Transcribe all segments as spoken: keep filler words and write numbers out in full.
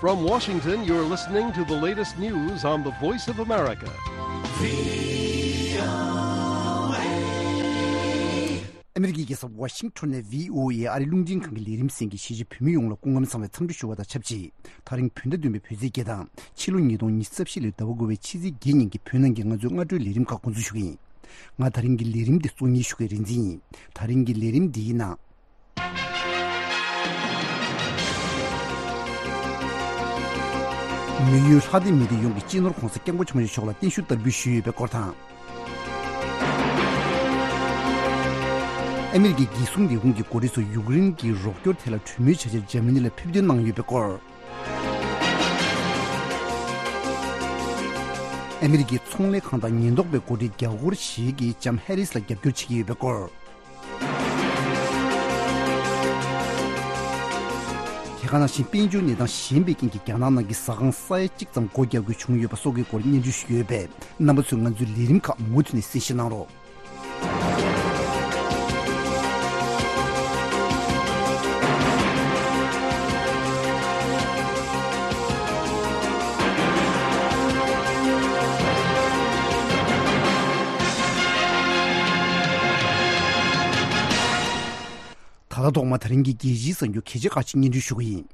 From Washington, you're listening to the latest news on the Voice of America. ཨ་མི་རི་ཀའི་རྒྱལ་ས་ཝ་ཤིང་ཊོན་ནས་བྷི་ཨོ་ཨེ་ཨ་རིའི་རླུང་འཕྲིན་ཁང་གི་ལས་རིམ་གསན་མཁན་གཞིས་བྱེས་བོད་མི་ཡོངས་ལ་སྐུ་ཁམས་བཟང་བའི་འཚམས་འདྲི་ཞུ་བ་དང་ཆབས་ཅིག་ད་རིང་བོད་ཟླ་བདུན་པའི་བོད་ཚེས་བརྒྱད་དང་ཕྱི་ལོ་ཉིས་སྟོང་ཉི་ཤུ་རྩ་བཞི་ལོའི་ཟླ་བ་དགུ་པའི་ཕྱི་ཚེས་བརྒྱད་ཉིན་གྱི་བོད་ནང་གི་ང་ཚོའི་སྔ་དྲོའི་ལས་རིམ་ཁག་འགོ་འཛུགས་ཞུ་གི་ཡིན། ང་ད་རིང་གི་ལས་རིམ་འདི་གཙོ་གཉེར་ཞུ་མཁན་རིག་འཛིན་ཡིན། ད་རིང་གི་ལས་རིམ་འདིའི་ནང་། མི་ཡུལ་ལྷ་སྡེ་མི་སྡེ་ཡོངས་ཀྱི་སྤྱི་ནོར་༸གོང་ས་༸སྐྱབས་མགོན་ཆེན་པོ་མཆོག་ལ་བརྟན་བཞུགས་བསྟར་འབུལ་ཞུས་ཡོད་པའི་སྐོར་དང་། ཨ་མི་རི་ཀའི་འགན་སྲུང་ལས་ཁུངས་ཀྱི་འགོ་ཁྲིད་ཚོ་ཡུཀ་རེན་གྱི་རོགས་སྐྱོར་ཐད་ལ་གྲོས་མོལ་བྱ་ཕྱིར་འཇར་མ་ནི་ལ་ཕེབས་ཐོན་གནང་ཡོད་པའི་སྐོར། ཨ་མི་རི་ཀའི་ཚོང་ལས་ཁང་དང་ཉེན་རྟོག་པའི་འགོ་ཁྲིད་རྒྱ་སྒོར་ཞིག་གིས་ལྕམ་ཧེ་རིས་ལ་རྒྱབ་སྐྱོར་བྱེད་ཀྱི་ཡོད་པའི་སྐོར། དེ་ག་ནང་བཞིན་དཔལ་འབྱོར་གནས་སྟངས་ཞན་པའི་རྐྱེན་གྱིས་རྒྱ་ནག་ནང་གི་ཟ་ཁང་ས་ཡ་གཅིག་ཙམ་སྒོ་རྒྱག་དགོས་བྱུང་ཡོད་པ་སོགས་ཀྱི་སྐོར་སྙན་སྒྲོན་ཞུས་ཡོད་པས། རྣམ་པ་ཚོས་ང་ཚོའི་ལས་རིམ་ཁག་མུ་མཐུད་ནས་གསན་བཞེས་གནང་རོགས། ད་ལྟ་ཐོག་མ་ད་རིང་གི་རྒྱལ་སྤྱིའི་གསར་འགྱུར་གལ་ཆེ་ཁག་ཅིག་སྙན་སྒྲོན་ཞུ་གི་ཡིན།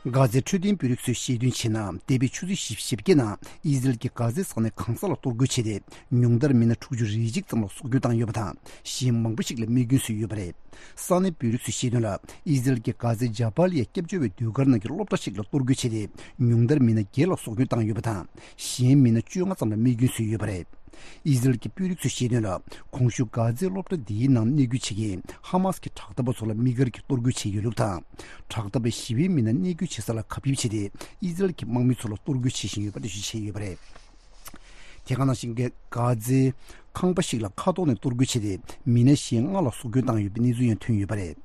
གྷ་ཛའི་འཕྲོད་བསྟེན་དཔོན་རིགས་ཚོས་བཤད་དོན་བྱས་ན། འདས་པའི་ཆུ་ཚོད་བཞི་བཅུ་ཞེ་བརྒྱད་ནང་ཨི་ཟི་རལ་གྱིས་གྷ་ཛའི་ས་གནས་གང་ས་ལ་གཏོར་རྒོལ་བྱས་ཏེ། ཉུང་མཐར་མི་སྣ་དྲུག་ཅུ་རེ་གཅིག་ཙམ་ལ་སྲོག་སྐྱོན་བཏང་ཡོད་པ་དང་། གཞན་མང་པོ་ཞིག་ལ་རྨས་སྐྱོན་བཟོས་ཡོད་པ་རེད། ས་གནས་དཔོན་རིགས་ཚོས་བཤད་དོན་ལ། ཨི་ཟི་རལ་གྱིས་གྷ་ཛའི་ཇ་བཱ་ལི་ཡ་སྐྱབས་བཅོལ་བའི་ཟློས་གར་ནང་གི་སློབ་གྲྭ་ཞིག་ལ་གཏོར་རྒོལ་བྱས་ཏེ། ཉུང་མཐར་མི་སྣ་བརྒྱད་ལ་སྲོག་སྐྱོན་བཏང་ཡོད་པ་དང་། གཞན་མི་སྣ་བཅོ་ལྔ་ཙམ་ལ་རྨས་སྐྱོན་བཟོས་ཡོད་པ་རེད། ཨི་ཟི་རལ་གྱི་དཔོན་རིགས་ཚོས་བཤད་དོན་ལ། གོང་ཞུས་གྷ་ཛའི་སློབ་གྲྭ་འདིའི་ནང་གནོད་སྐྱོན་བྱེད་མཁན་ཧ་མཱས་ཀྱི་དྲག་འཐབ་པ་ཚོ་ལ་དམིགས་བཀར་གྱིས་གཏོར་རྒོལ་བྱས་ཡོད་ལུགས་དང་། དྲག་འཐབ་པས་ཞི་བའི་མི་སྣ་གནས་སྐྱོང་བྱེད་ས་ལ་གབ་སྐྱེལ་བྱས་ཏེ། ཨི་ཟི་རལ་གྱི་དམག་མི་ཚོ་ལ་གཏོར་རྒོལ་བྱེད་བཞིན་ཡོད་པ་འགྲེལ་བརྗོད་བྱས་ཡོད་པ་རེད། དེ་ག་ནང་བཞིན་གྷ་ཛའི་ཁང་པ་ཞིག་ལ་མཁའ་ཐོག་ནས་གཏོར་རྒོལ་བྱས་ཏེ། མི་སྣ་གཞན་ལྔ་ལ་སྲོག་སྐྱོན་བཏང་ཡོད་པའི་གནས་ཚུལ་ཡང་ཐོན་ཡོད་པ་རེད།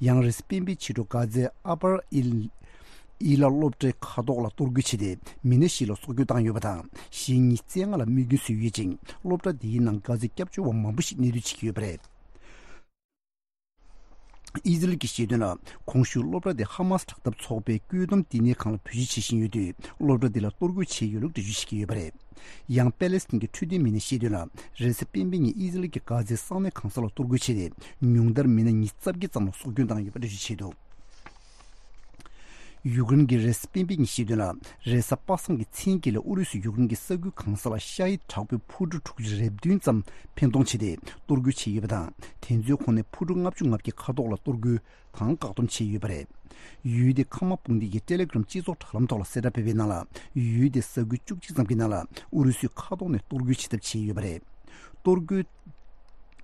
ཡང་རེས་གཟའ་སྤེན་པའི་ཕྱི་དྲོ་གྷ་ཛའི་ཨ་པར་ཨིལ་ཨི་ལ་སློབ་གྲྭའི་མཁའ་ཐོག་ལ་གཏོར་རྒོལ་བྱས་ཏེ། མི་སྣ་བཞི་ལ་སྲོག་སྐྱོན་བཏང་ཡོད་པ་དང་། གཞན་ཉིས་བརྩེགས་ལྔ་ལ་རྨས་སྐྱོན་བཟོས་ཡོད་ཅིང་། སློབ་གྲྭ་དེའི་ནང་གྷ་ཛའི་སྐྱབས་བཅོལ་བ་མང་པོ་ཞིག་གནས་སྡོད་བྱེད་ཀྱི་ཡོད་པ་རེད། ཨི་ཟི་རལ་གྱིས་བཤད་དོན་ལ། གོང་ཞུས་སློབ་གྲྭ་དེ་ཧ་མཱས་དྲག་འཐབ་ཚོགས་པའི་བཀོད་འདོམས་བསྟི་གནས་ཁང་ལ་བེད་སྤྱོད་བྱེད་བཞིན་ཡོད་དུས། སློབ་གྲྭ་དེ་ལ་གཏོར་རྒོལ་བྱས་ཡོད་ལུགས་འགྲེལ་བརྗོད་བྱེད་ཀྱི་ཡོད་པ་རེད། ཡང་པེ་ལེ་སི་ཐན་གྱི་འཕྲོད་བསྟེན་མི་སྣས་བཤད་དོན་ལ། རེས་གཟའ་སྤེན་པའི་ཉིན་ཨི་ཟི་རལ་གྱིས་གྷ་ཛའི་ས་གནས་གང་ས་ལ་གཏོར་རྒོལ་བྱས་ཏེ། ཉུང་མཐར་མི་སྣ་ཉི་ཤུ་རྩ་བརྒྱད་ཙམ་ལ་སྲོག་སྐྱོན་བཏང་ཡོད་པ་འགྲེལ་བརྗོད་བྱས་འདུག་ཡུཀ་རེན་གྱིས་རེས་གཟའ་སྤེན་པའི་ཉིན་བཤད་དོན་ལ། རེས་གཟའ་པ་སངས་ཀྱི་མཚན་དཀྱིལ་ལ་ཨུ་རུ་སུས་ཡུཀ་རེན་གྱི་ས་ཁུལ་གང་ས་ལ་ཤ་ཡི་དྲག་པོའི་འཕུར་གྲུ་དྲུག་ཅུ་རེ་བདུན་ཙམ་འཕེན་གཏོང་བྱས་ཏེ། གཏོར་རྒོལ་བྱས་ཡོད་པ་དང་། དེ་ཚོའི་ཁོངས་ནས་འཕུར་གྲུ་ལྔ་བཅུ་ང་བརྒྱད་མཁའ་ཐོག་ལ་གཏོར་རྒོལ་དང་བཀག་སྡོམ་བྱས་ཡོད་པ་རེད། ཡུལ་དེའི་ཁ་མ་དཔུང་སྡེ་ཡིས་ཊེ་ལེ་གྷི་རམ་སྤྱི་ཚོགས་དྲ་ལམ་ཐོག་ལ་གསལ་བསྒྲགས་སྤེལ་བའི་ནང་ལ། ཡུལ་དེའི་ས་ཁུལ་བཅུ་གཅིག་ཙམ་གྱི་ནང་ལ་ཨུ་རུ་སུས་མཁའ་ཐོག་ནས་གཏོར་རྒོལ་བྱེད་ཐབས་བྱས་ཡོད་པ་རེད། གཏོར་རྒོལ།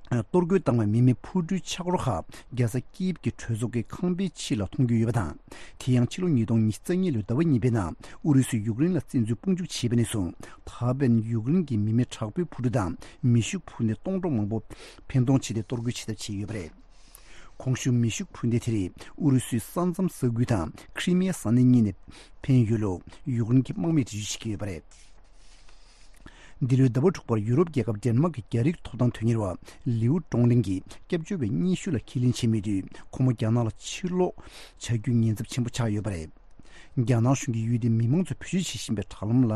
གཏོར་རྒོལ་བཏང་བའི་མི་མེད་འཕུར་གྲུའི་ཆག་རོ་ཁག་རྒྱལ་ས་ཀིབ་ཀྱི་གྲོས་ཚོགས་ཀྱི་ཁང་པའི་ཕྱི་ལ་མཐོང་རྒྱུ་ཡོད་པ་དང་། དེ་ཡང་ཕྱི་ལོ་ཉིས་སྟོང་ཉི་ཤུ་རྩ་གཉིས་ལོའི་ཟླ་བ་གཉིས་པའི་ནང་ཨུ་རུ་སུས་ཡུཀ་རེན་ལ་བཙན་འཛུལ་དཔུང་འཇུག་བྱས་པ་ནས་བཟུང་། ད་ཕན་ཡུཀ་རེན་གྱི་མི་མེད་དྲག་པོའི་འཕུར་གྲུ་དང་མེ་ཤུགས་འཕུར་མདེལ་སྟོང་ཕྲག་མང་པོ་འཕེན་གཏོང་བྱས་ཏེ་གཏོར་རྒོལ་བྱེད་ཐབས་བྱས་ཡོད་པ་རེད། གོང་ཞུས་མེ་ཤུགས་འཕུར་མདེལ་དེ་རིགས་ཨུ་རུ་སུའི་ས་མཚམས་ས་ཁུལ་དང་ཁྲི་མི་ཡ་ས་གནས་གཉིས་ནས་འཕེན་ཡོད་ལུགས་ཡུཀ་རེན་གྱི་དམག་མིས་འགྲེལ་བརྗོད་བྱེད་ཀྱི་ཡོད་པ་རེད། འདི་ལོའི་ཟླ་བ་དྲུག་པར་ཡུ་རོབ་རྒྱལ་ཁབ་ཌེན་མཱག་གི་རྒྱ་རིགས་ཐོབ་ཐང་དོན་གཉེར་བ་ལིའུ་ཀྲོང་ལིང་གིས་སྐྱབས་བཅོལ་བའི་སྙན་ཞུ་ལ་ཁས་ལེན་བྱས་མེད་དུས། ཁོ་མོ་རྒྱ་ནག་ལ་ཕྱིར་ལོག་བྱ་རྒྱུའི་ཉེན་ཚབས་ཆེན་པོ་ཆགས་ཡོད་པ་རེད། རྒྱ་ནག་གཞུང་གིས་ཡུལ་དེའི་མི་མང་ཚོས་བེད་སྤྱོད་བྱེད་བཞིན་པའི་དྲ་ལམ་ལ་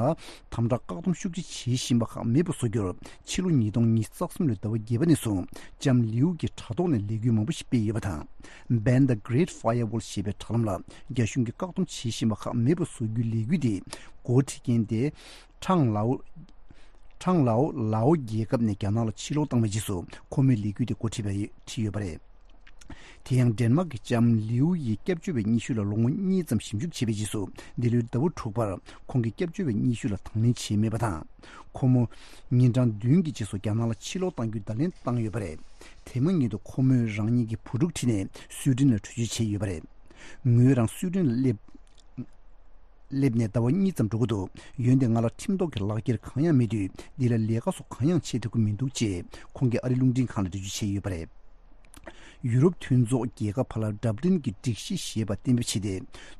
དམ་དྲག་བཀག་སྡོམ་ཤུགས་ཆེ་བྱེད་བཞིན་པ་ཁག་མེད་པར་བཟོ་རྒྱུར། ཕྱི་ལོ་ཉིས་སྟོང་ཉི་ཤུ་རྩ་གསུམ་ལོའི་ཟླ་བ་བརྒྱད་པ་ནས་བཟུང་ལྕམ་ལིའུ་གིས་དྲ་ཐོག་ནས་ལས་འགུལ་མང་པོ་ཞིག་སྤེལ་ཡོད་པ་དང་། Ban the Great Firewall ཞེས་པའི་དྲ་ལམ་ལ་རྒྱ་གཞུང་གིས་བཀག་སྡོམ་བྱེད་བཞིན་པ་ཁག་མེད་པར་བཟོ་རྒྱུའི་ལས་འགུལ་དེ་འགོ་ཁྲིད་མཁན་དེ། ཁྲང་ལའོ། ཁྲང་ལའོ་ལའོ་རྒྱལ་ཁབ་ནས་རྒྱ་ནག་ལ་ཕྱིར་ལོག་བཏང་བའི་རྗེས་སུ་ཁོ་མོས་ལས་འགུལ་དེ་འགོ་ཁྲིད་པ་རེད། ཁྲིད་ཡོད་པ་རེད། དེ་ཡང་ཌེན་མཱག་གིས་ལྕམ་ལིའུ་ཡི་སྐྱབས་བཅོལ་བའི་སྙན་ཞུ་ལ་ལོ་ངོ་གཉིས་ཙམ་ཞིབ་འཇུག་བྱས་པའི་རྗེས་སུ། འདི་ལོའི་ཟླ་བ་དྲུག་པར་ཁོང་གི་སྐྱབས་བཅོལ་བའི་སྙན་ཞུ་ལ་དང་ལེན་བྱས་མེད་པ་དང་། ཁོ་མོ་ཉིན་གྲངས་བདུན་གྱི་རྗེས་སུ་རྒྱ་ནག་ལ་ཕྱིར་ལོག་གཏང་རྒྱུའི་བརྡ་ལན་བཏང་ཡོད་པ་རེད། དེ་མ་ཉིད་དུ་ཁོ་མོས་རང་ཉིད་ཀྱི་བུ་ཕྲུག་ཁྲིད་ནས་སུའེ་ཏེན་ལ་བྲོས་བྱོལ་བྱས་ཡོད་པ་རེད། ངོས་རང་སུའེ་ཏེན་ལ་སླེབས། སླེབས་ནས་ཟླ་བ་གཉིས་ཙམ་འགྲོ་གི་འདུག། འོན་ཏེ་ང་ལ་ཁྲིམས་ཐོག་གི་ལག་འཁྱེར་གང་ཡང་མེད་དུས། འདི་ལ་ལས་ཀ་སོགས་གང་ཡང་བྱེད་ཐུབ་ཀྱི་མི་འདུག་ཅེས་ཁོང་གིས་ཨ་རིའི་རླུང་འཕྲིན་ཁང་ལ་འགྲེལ་བརྗོད་བྱས་ཡོད་པ་རེད། ཡུ་རོབ་མཐུན་ཚོགས་རྒྱལ་ཁབ་བར་ལ་འདྲ་མཐུན་གྱི་སྒྲིག་གཞི་ཞེས་པ་གཏན་འབེབས་བྱས་ཏེ།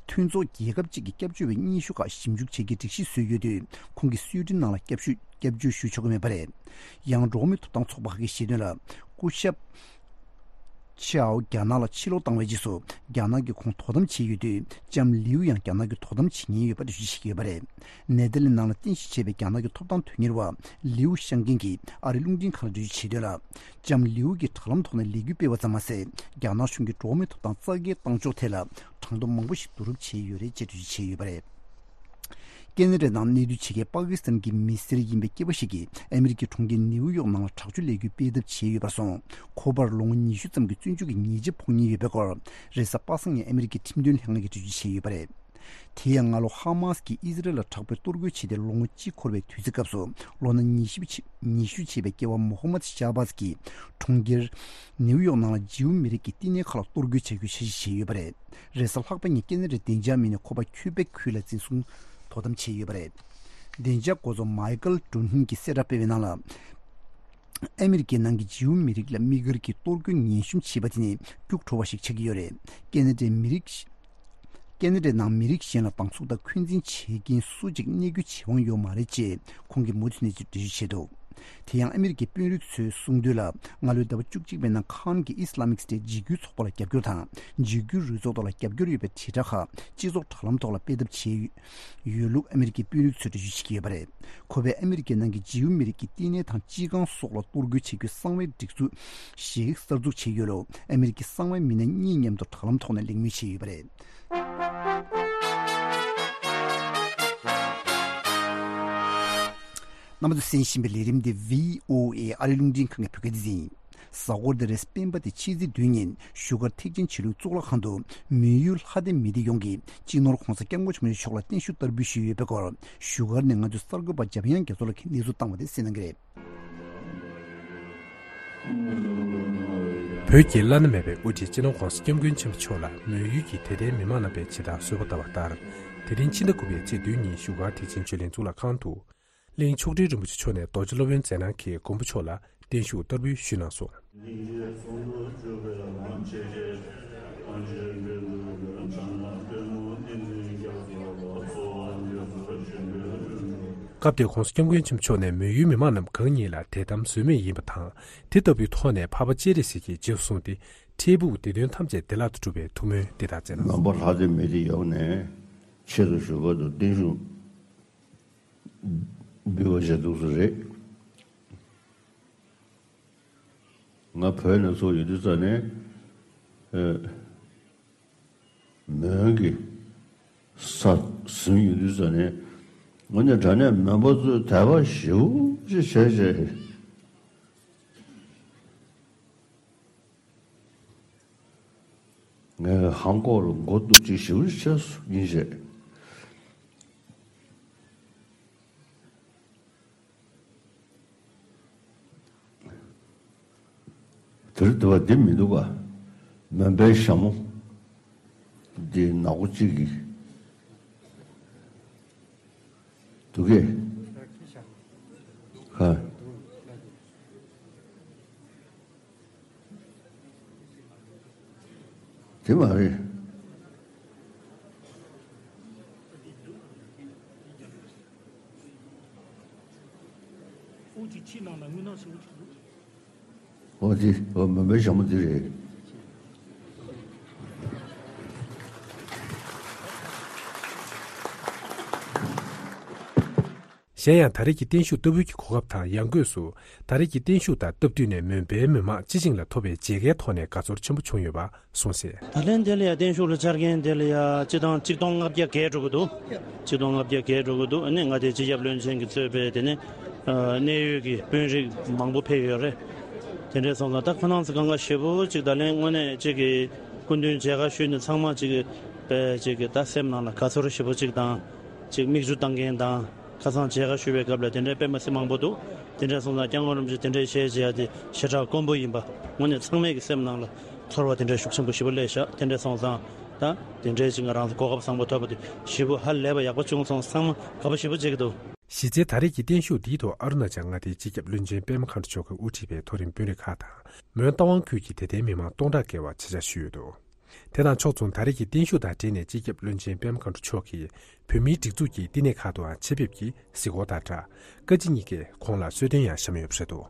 མཐུན་ཚོགས་རྒྱལ་ཁབ་ཅིག་གི་སྐྱབས་བཅོལ་བའི་སྙན་ཞུ་ཁག་ཞིབ་འཇུག་བྱེད་ཀྱི་སྒྲིག་གཞི་བཟོས་ཡོད་དུས། ཁོང་གིས་སུའེ་ཏེན་ནང་ལ་སྐྱབས་ཞུ། སྐྱབས་བཅོལ་ཞུ་ཆོག་གི་མེད་པ་རེད། ཡང་འགྲོ་བ་མིའི་ཐོབ་ཐང་ཚོགས་པ་ཁག་གིས་བཤད་དོན་ལ། སྐུ་ཞབས། ཆའོ་རྒྱ་ནག་ལ་ཕྱིར་ལོག་བཏང་བའི་རྗེས་སུ། རྒྱ་ནག་གིས་ཁོང་དོ་དམ་བྱས་ཡོད་དུས། ལྕམ་ལིའུ་ཡང་རྒྱ་ནག་གིས་དོ་དམ་བྱེད་ཉེན་ཡོད་པ་འགྲེལ་བརྗོད་བྱེད་ཀྱི་ཡོད་པ་རེད། ནེ་ཐར་ལེན་ནང་ལ་རྟེན་གཞི་བྱས་པའི་རྒྱ་ནག་གི་ཐོབ་ཐང་དོན་གཉེར་བ་ལིའུ་ཤང་ཀིན་གྱིས་ཨ་རིའི་རླུང་འཕྲིན་ཁང་ལ་འགྲེལ་བརྗོད་བྱས་དོན་ལ། ལྕམ་ལིའུ་གིས་དྲ་ལམ་ཐོག་ནས་ལས་འགུལ་སྤེལ་བ་ཙམ་མ་ཟད། རྒྱ་ནག་གཞུང་གིས་འགྲོ་བ་མིའི་ཐོབ་ཐང་རྩ་འགེངས་བཏང་ཕྱོགས་ཐད་ལ། གྲངས་ཐོ་མང་པོ་ཞིག་བསྡུ་རུབ་བྱས་ཡོད་རེད་ཅེས་འགྲེལ་བརྗོད་བྱས་ཡོད་པ་རེད། ཀེ་ན་ཌའི་ནང་གནས་སྡོད་བྱེད་མཁན་པ་ཀི་སི་ཐན་གྱི་མི་སེར་ཡིན་པའི་སྐྱེས་པ་ཞིག་གིས་ཨ་མི་རི་ཀའི་གྲོང་ཁྱེར་ནེའུ་ཡོག་ནང་ལ་དྲག་སྤྱོད་ལས་འགུལ་སྤེལ་ཐབས་བྱས་ཡོད་པར་སོང་། ཁོ་པར་ལོ་ངོ་ཉི་ཤུ་ཙམ་གྱི་བཙོན་འཇུག་གི་ཉེས་ཆད་ཕོག་ཉེན་ཡོད་པའི་སྐོར། རེས་གཟའ་པ་སངས་ཉིན་ཨ་མི་རི་ཀའི་ཁྲིམས་དོན་ལྷན་ཁང་གིས་འགྲེལ་བརྗོད་བྱས་ཡོད་པ་རེད། དེ་ཡང་སྔ་ལོ་ཧ་མཱ་སི་ཀྱིས་ཨི་ཟི་རལ་ལ་དྲག་པོའི་གཏོར་རྒོལ་བྱས་ཏེ་ལོ་ངོ་གཅིག་འཁོར་བའི་དུས་ཚོད་སྐབས་སུ། ལོ་ན་ཉི་ཤུ་ཕྱི་ཉི་ཤུ་བྱས་པའི་སྐྱེས་པ་མོ་ཧོ་མད་ཤ་བྷ་ཟ་གིས་གྲོང་ཁྱེར་ནེའུ་ཡོག་ནང་ལ་ཇིའུ་མི་རིགས་ཀྱི་བསྟི་གནས་ཁག་ལ་གཏོར་རྒོལ་བྱ་རྒྱུའི་འཆར་གཞི་བྱས་ཡོད་པ་རེད། རེས་གཟའ་ལྷག་པ་ཉིན་ཀེ་ན་ཌའི་བདེ་འཇགས་མི་སྣས་ཁོ་པ་ཁྱུ་པེག་ཁུལ་ལ་འཛིན་བཟུང་དོ་དམ་བྱས་ཡོད་པ་རེད། བདེ་འཇགས་འགོ་གཙོ་མའི་ཀལ་ཀྲུན་ཧིན་གྱིས་གསལ་བསྒྲགས་སྤེལ་བའི་ནང་ལ། ཨ་མི་རི་ཀའི་ནང་གི་ཇིའུ་མི་རིགས་ལ་དམིགས་བཀར་གྱིས་གཏོར་རྒོལ་ངན་ཤོས་བྱས་པ་དེ་ནི་སྐྱུག་བྲོ་བ་ཞིག་ཆགས་ཀྱི་ཡོད་རེད། ཀེ་ན་ཌའི་མི་རིགས། ཀེ་ན་ཌའི་ནང་མི་རིགས་གཞན་ལ་སྡང་ཟུག་དང་འཁོན་འཛིན་བྱེད་མཁན་སུ་གཅིག་གནས་སྐྱོན་བྱེད་དབང་ཡོད་མ་རེད་ཅེས་ཁོང་གིས་མུ་མཐུད་ནས་འགྲེལ་བརྗོད་བྱས་འདུག་དེ་ཡང་ཨ་མི་རི་ཀའི་དཔོན་རིགས་ཚོས་གསུངས་དོན་ལ། སྔ་ལོའི་ཟླ་བ་བཅུ་གཅིག་པའི་ནང་ཁ་ན་ཌའི་ཨི་སི་ལ་མིག་སི་ཊེཊ་འཇིགས་སྐུལ་ཚོགས་པ་ལ་རྒྱབ་སྐྱོར་དང་། འཇིགས་སྐུལ་རུ་ཚོགས་ཐོག་ལ་རྒྱབ་སྐྱོར་ཡོད་པའི་དྲིལ་བསྒྲགས་ཁག་སྤྱི་ཚོགས་དྲ་ལམ་ཐོག་ལ་སྤེལ་ཐབས་བྱས་ཡོད་ལུགས་ཨ་མི་རི་ཀའི་དཔོན་རིགས་ཚོས་འགྲེལ་བརྗོད་བྱེད་ཀྱི་ཡོད་པ་རེད། ཁོ་པས་ཨ་མི་རི་ཀའི་ནང་གི་ཇིའུ་མི་རིགས་ཀྱི་བསྟི་གནས་དང་སྤྱི་ཁང་སོགས་ལ་གཏོར་རྒོལ་བྱེད་རྒྱུའི་གསང་བའི་སྒྲིག་འཛུགས་ཤིག་གསར་འཛུགས་བྱས་ཡོད་ལུགས་ཨ་མི་རི་ཀའི་གསང་བའི་མི་སྣ་གཉིས་མཉམ་དུ་དྲ་ལམ་ཐོག་ནས་གླེང་མོལ་བྱས་ཡོད་པ་རེད། རྣམ་པ་ཚོས་གསན་བཞིན་པའི་ལས་རིམ་འདི་བྷི་ཨོ་ཨེ་ཨ་རིའི་རླུང་འཕྲིན་ཁང་གི་བོད་སྐད་སྡེ་ཚན་ཡིན། གཟའ་འཁོར་འདིར་སྤེན་པ་དེ་ཕྱི་ཚེས་བདུན་ཉིན་བཞུགས་སྒར་ཐེག་ཆེན་ཆོས་ལུགས་གཙུག་ལག་ཁང་དུ་མོན་ཡུལ་ལྷ་སྡེ་མི་སྡེ་ཡོངས་ཀྱི་སྤྱི་ནོར་༧གོང་ས་༧སྐྱབས་མགོན་ཆེན་པོ་མཆོག་ལ་བརྟན་བཞུགས་བསྟར་འབུལ་ཞུས་ཡོད་པའི་སྐོར། བཞུགས་སྒར་ནས་ང་ཚོའི་གསར་འགོད་པ་འཇམ་དབྱངས་རྒྱ་མཚོ་ལགས་ཀྱིས་གནས་ཚུལ་བཏང་བ་དེ་གསན་གནང་གི་རེད། བོད་ཀྱི་བླ་ན་མེད་པའི་དབུ་ཁྲིད་སྤྱི་ནོར་༧གོང་ས་༧སྐྱབས་མགོན་ཆེན་པོ་མཆོག་ལ་མོན་ཡུལ་གྱི་དད་ལྡན་མི་མང་རྣམ་པས་ཇི་ལྟར་གསོལ་བ་བཏབ་པ་ལྟར། དེ་རིང་ཕྱི་ཟླ་དགུ་པའི་ཚེས་བདུན་ཉིན་བཞུགས་སྒར་ཐེག་ཆེན་ཆོས་གླིང་གཙུག་ལག་ཁང་དུ། གླིང་མཆོག་སྤྲུལ་རིན་པོ་ཆེ་མཆོག་ནས་རྡོ་རྗེ་སློབ་དཔོན་མཛད་གནང་གིས་མགོན་པོ་མཆོག་ལ་བརྟན་བཞུགས་བསྟར་འབུལ་ཞུས་གནང་སོང་། སྐབས་དེར་༧གོང་ས་༧སྐྱབས་མགོན་ཆེན་པོ་མཆོག་ནས་མོན་ཡུལ་མི་མང་རྣམས་གང་ཉིད་ལ་དད་དམ་ཟོལ་མེད་ཡིན་པ་དང་། དེ་ལྟ་བུའི་ཐོག་ནས་འཕགས་པ་སྤྱན་རས་གཟིགས་ཀྱི་རྗེས་སུ་བཟུང་སྟེ། འཕྲལ་ཕུགས་བདེ་དོན་ཐམས་ཅད་བདེ་བླག་ཏུ་འགྲུབ་པའི་ཐུགས་སྨོན་འདི་ལྟར་མཛད་གནང་སོང་། ནང་པ་ལྷ་སྡེ་མི་སྡེ་ཡོངས་ནས་ཆེད་དུ་བཞུགས་སྒར་དུ་བརྟན་བཞུགས་འབུལ་བ་བྱས་འདུག་ས་རེད། ང་བོད་ནས་ཚུར་ཡོང་དུས་ཙམ་ནས། ཨ། མོན་གྱི་ས་ཟིན་ཡོང་དུས་ཙམ་ནས། དངོས་གནས་དྲང་གནས་མོན་པ་ཚོས་དད་པ་ཞེ་པོ་ཅིག་བྱས་བྱས། ངས་ཧང་ཀོག་ལ་མགོ་གཏུག་ཅིག་ཞེ་པོ་ཅིག་བྱས་སོང་ཡིན་བྱས། དེར་དུ་བ་འདི་མི་འདུག་ག་མོན་པའི་ཞྭ་མོ་འདི་ནག་པོ་གཅིག་གིས་འདུག་གས། ཧ། དེ་མ་རེད། ཨོ་དེ་ཕྱི་ནང་ལ་དངུལ་ནག་ཞེ་པོ་ཅིག་འདུག་ཨོ་དེ་ཨོ་མོན་པའི་ཞྭ་མོ་དེ་རེད། གཞན་ཡང་ད་རེས་ཀྱི་བརྟན་བཞུགས་བསྟར་འབུལ་གྱི་གོ་སྐབས་དང་ཡང་སྒོས་སུ། ད་རེས་ཀྱི་བརྟན་བཞུགས་དང་སྟབས་བསྟུན་ནས་མོན་པའི་མི་མང་སྤྱི་བྱིངས་ལ་ཐོབ་པའི་མཇལ་ཁའི་ཐོག་ནས་དགའ་ཚོར་ཆེན་པོ་བྱུང་ཡོད་པ་གསུངས་གསལ། ད་ལན་དེ་ལ་ཡང་བརྟན་བཞུགས་ལ་བཅར་མཁན་དེ་ལ་ཡང་སྤྱི་བཏང་གཅིག་སྟོང་ལྔ་བརྒྱ་བརྒལ་འགྲོ་གི་འདུག་གཅིག་སྟོང་ལྔ་བརྒྱ་བརྒལ་འགྲོ་གི་འདུག་ཨ་ནི་ང་དེ་སྤྱི་ཁྱབ་བློན་ཆེན་གྱིས་གཙོས་པའི་དེ་ནི་གནད་ཡོད་ཀྱི་དཔོན་རིགས་མང་པོ་ཕེབས་ཡོད་རེད། དེ་འདྲའི་སོང་ཙང་ད་ཁོ་རང་ཚོ་གང་ག་ཞེ་པོ་ཅིག་ད་ལན་དངོས་གནས་ཅིག་གི་སྐུ་མདུན་མཇལ་ཁ་ཞུས་ནས་ཚང་མ་ཅིག་གི་དཔེ་ཅིག་གི་ད་སེམས་ནང་ལ་དགའ་ཚོར་ཞེ་པོ་ཅིག་དང་། ཅིག་མིག་ཆུ་བཏང་མཁན་དང་། ཁ་སང་མཇལ་ཁ་ཞུ་བའི་སྐབས་ལ་དེ་འདྲའི་དཔེ་མ་སྲིད་མང་པོ་འདུག་དེ་འདྲ་སོང་ཙང་སྐྱབས་མགོན་རིན་པོ་ཆེ་དེ་འདྲའི་ཞལ་མཇལ་ཡ་དེ་ཞེ་དྲག་དཀོན་པོ་ཡིན་པ་དངོས་གནས་ཚང་མས་ཀྱི་སེམས་ནང་ལ་ཚོར་བ་དེ་འདྲའི་ཤུགས་ཆེན་པོ་ཞེ་པོ་སླེབས་ཤག་དེ་འདྲ་སོང་ཙང་ད་དེ་འདྲའི་ཅིག་ང་རང་ཚོ་གོ་སྐབས་བཟང་པོ་ཐོབ་པ་དེ་ཞེ་པོ་ཧ་ལས་པ་ཡག་པོ་བྱུང་སོང་། ཚང་མ་དགའ་པོ་ཞེ་པོ་བྱེད་ཀྱི་འདུག་གཞི་རྩའི་ད་རེས་ཀྱི་བརྟན་བཞུགས་འདིའི་ཐོག་ཨ་རུ་ན་ཅལ་མངའ་སྡེའི་སྤྱི་ཁྱབ་བློན་ཆེན་པད་མ་མཁའ་འགྲོ་མཆོག་གིས་དབུ་ཁྲིད་པའི་མཐོ་རིམ་དཔོན་རིགས་ཁག་དང་། མོན་རྟ་དབང་ཁུལ་གྱི་དད་ལྡན་མི་མང་སྟོང་ཕྲག་བརྒལ་བ་ཆེད་བཅར་ཞུས་ཡོད་འདུག་དེ་དང་ཕྱོགས་མཚུངས་ད་རེས་ཀྱི་བརྟན་བཞུགས་དང་འབྲེལ་ནས་སྤྱི་ཁྱབ་བློན་ཆེན་པད་མ་མཁའ་འགྲོ་མཆོག་གིས་བོད་མིའི་སྒྲིག་འཛུགས་ཀྱི་བསྟི་གནས་ཁག་ཏུའང་ཆེད་ཕེབས་ཀྱིས་གཟིགས་སྐོར་དང་སྦྲགས། བཀའ་སྤྱི་གཉིས་ཀས་ཁོང་ལ་གསོལ་སྟོན་ཡང་བཤམས་ཡོད་པ་རེད་འདུག་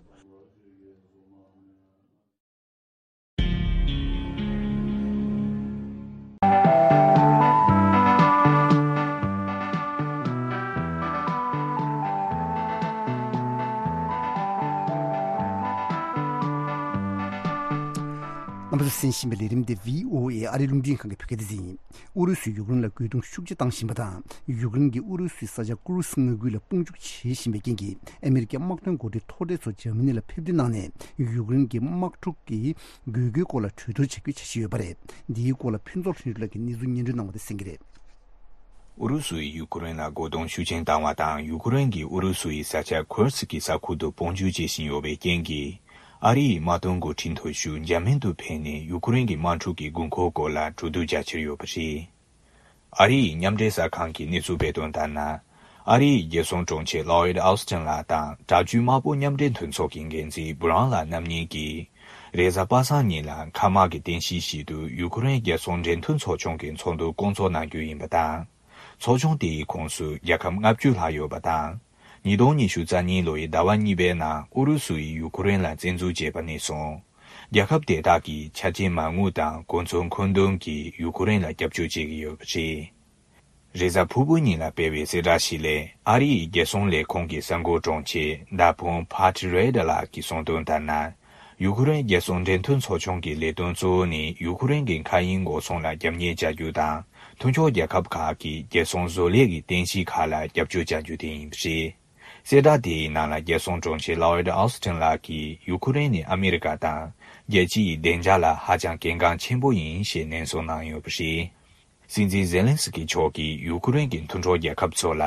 རྣམ་པ་ཚོས་གསན་བཞིན་པའི་ལས་རིམ་དེ་བྷི་ཨོ་ཨེ་ཨ་རིའི་རླུང་འཕྲིན་ཁང་གི་བོད་སྐད་སྡེ་ཚན་ཡིན། ཨུ་རུ་སུས་ཡུཀ་རེན་ལ་རྒོལ་རྡུང་ཤུགས་ཆེ་བཏང་བཞིན་པ་དང་། ཡུཀ་རེན་གྱིས་ཨུ་རུ་སུའི་ས་ཆ་ཀུ་རུ་སི་མངའ་ཁུལ་ལ་དཔུང་འཇུག་བྱེད་བཞིན་པའི་རྐྱེན་གྱིས། ཨ་མེ་རི་ཀའི་དམག་དོན་འགོ་ཁྲིད་མཐོ་གྲས་ཚོ་འཇར་མ་ནི་ལ་ཕེབས་བསུ་གནང་ནས། ཡུཀ་རེན་གྱི་དམག་འཁྲུག་གི་དགོས་མཁོའི་སྐོར་ལ་གྲོས་བསྡུར་བྱ་རྒྱུའི་འཆར་གཞི་ཡོད་པ་རེད། འདིའི་སྐོར་ལ་ཕུན་ཚོགས་ལྷུན་གྲུབ་ལགས་ཀྱིས་གནས་ཚུལ་སྙན་སྒྲོན་གནང་བ་དེ་གསན་གྱི་རེད། ཨུ་རུ་སུ་ཡིས་ཡུ་ཀེ་རེན་ལ་རྒོལ་རྡུང་ཤུགས་ཆེན་བཏང་བ་དང་། ཡུ་ཀེ་རེན་གྱིས་ཨུ་རུ་སུ་ཡི་ས་ཆ་ཁུར་སི་ཀི་ས་ཁུལ་དུ་དཔུང་འཇུག་བྱེད་བཞིན་ཡོད་པའི་རྐྱེན་གྱིས། ཨ་རི་ཡི་དམག་དོན་འགོ་ཁྲིད་མཐོ་ཤོས་འཇར་མན་དུ་ཕེབས་ནས་ཡུ་ཀེ་རེན་གྱི་དམག་འཁྲུག་གི་དགོས་མཁོའི་སྐོར་ལ་གྲོས་བསྡུར་རྒྱག་འཆར་ཡོད་པ་རེད། ཨ་རི་ཡི་མཉམ་འབྲེལ་གསར་ཁང་གིས་གནས་ཚུལ་སྤེལ་དོན་ལྟར་ན། ཨ་རི་ཡི་རྒྱལ་སྲུང་དྲུང་ཆེ་ལོ་ཡིད་ཨོ་སི་ཊིན་ལགས་དང་། དྲག་སྤྱོད་དམག་དཔུང་མཉམ་འབྲེལ་མཐུན་ཚོགས་ཀྱི་འགན་འཛིན་བྷུ་རང་ལགས་རྣམ་གཉིས་ཀྱིས། རེས་གཟའ་པ་སངས་ཉིན་ལ་མཁའ་དམག་གི་རྟེན་གཞི་ཞིག་ཏུ་ཡུ་ཀེ་རེན་རྒྱལ་སྲུང་འབྲེལ་མཐུད་ཚོགས་ཆུང་གི་ཚོགས་འདུ་བསྐོང་ཚོགས་གནང་རྒྱུ་ཡིན་པ་དང་། ཚོགས་ཆུང་དེའི་ཁོངས་སུ་རྒྱལ་ཁབ་ལྔ་བཅུ་ལྷག་ཡོད་པ་དང་། ཉིས་སྟོང་ཉི་ཤུ་རྩ་གཉིས་ལོའི་ཟླ་བ་གཉིས་པའི་ནང་ཨུ་རུ་སུ་ཡིས་ཡུ་ཀེ་རེན་ལ་བཙན་འཛུལ་བྱས་པ་ནས་བཟུང་། རྒྱལ་ཁབ་དེ་དག་གིས་ཆ་རྐྱེན་མ་དངུལ་དང་གོ་མཚོན་མཁོ་འདོན་གྱིས་ཡུ་ཀེ་རེན་ལ་སྐྱབས་བཅོལ་བྱེད་ཀྱི་ཡོད་པ་རེད། རེས་གཟའ་ཕུར་བུ་ཉིན་ལ་སྤེལ་བའི་གསལ་བསྒྲགས་ཤིག་ལས། ཨ་རི་ཡི་རྒྱལ་སྲུང་ལས་ཁུངས་ཀྱི་གསར་འགོད་དྲུང་ཆེ་ཌ་ཕོན་ཕ་ཏི་རེ་ཏ་ལགས་ཀྱིས་གསུངས་དོན་ལྟར་ན། ཡུ་ཀེ་རེན་རྒྱལ་སྲུང་འབྲེལ་མཐུད་ཚོགས་ཆུང་གི་ལས་དོན་གཙོ་བོ་ནི་ཡུ་ཀེ་རེན་གྱི་མཁའ་དབྱིངས་འགོག་སྲུང་ལ་རྒྱབ་གཉེར་བྱ་རྒྱུ་དང་། མཐུན་ཕྱོགས་རྒྱལ་ཁབ་ཁག་གི་རྒྱལ་སྲུང་བཟོ་ལས་ཀྱི་རྟེན་གཞི་ཁག་ལ་རྒྱབ་སྐྱོར་བྱ་རྒྱུ་དེ་ཡིན་པ་རེད། གསལ་བསྒྲགས་དེའི་ནང་ལ་རྒྱལ་སྲུང་དྲུང་ཆེ་ལོ་ཡིད་ཨོ་སི་ཊིན་ལགས་ཀྱིས་ཡུ་ཀེ་རེན་ནི་ཨ་མེ་རི་ཀ་དང་རྒྱལ་སྤྱི་ཡི་བདེ་འཇགས་ལ་ཧ་ཅང་གལ་འགངས་ཆེན་པོ་ཡིན་ཞེས་ནན་གསུང་གནང་ཡོད་པ་རེད། སྲིད་འཛིན་ཛེ་ལན་སི་ཀི་མཆོག་གིས་ཡུ་ཀེ་རེན་གྱི་མཐུན་གྲོགས་རྒྱལ་ཁབ་ཚོ་ལ།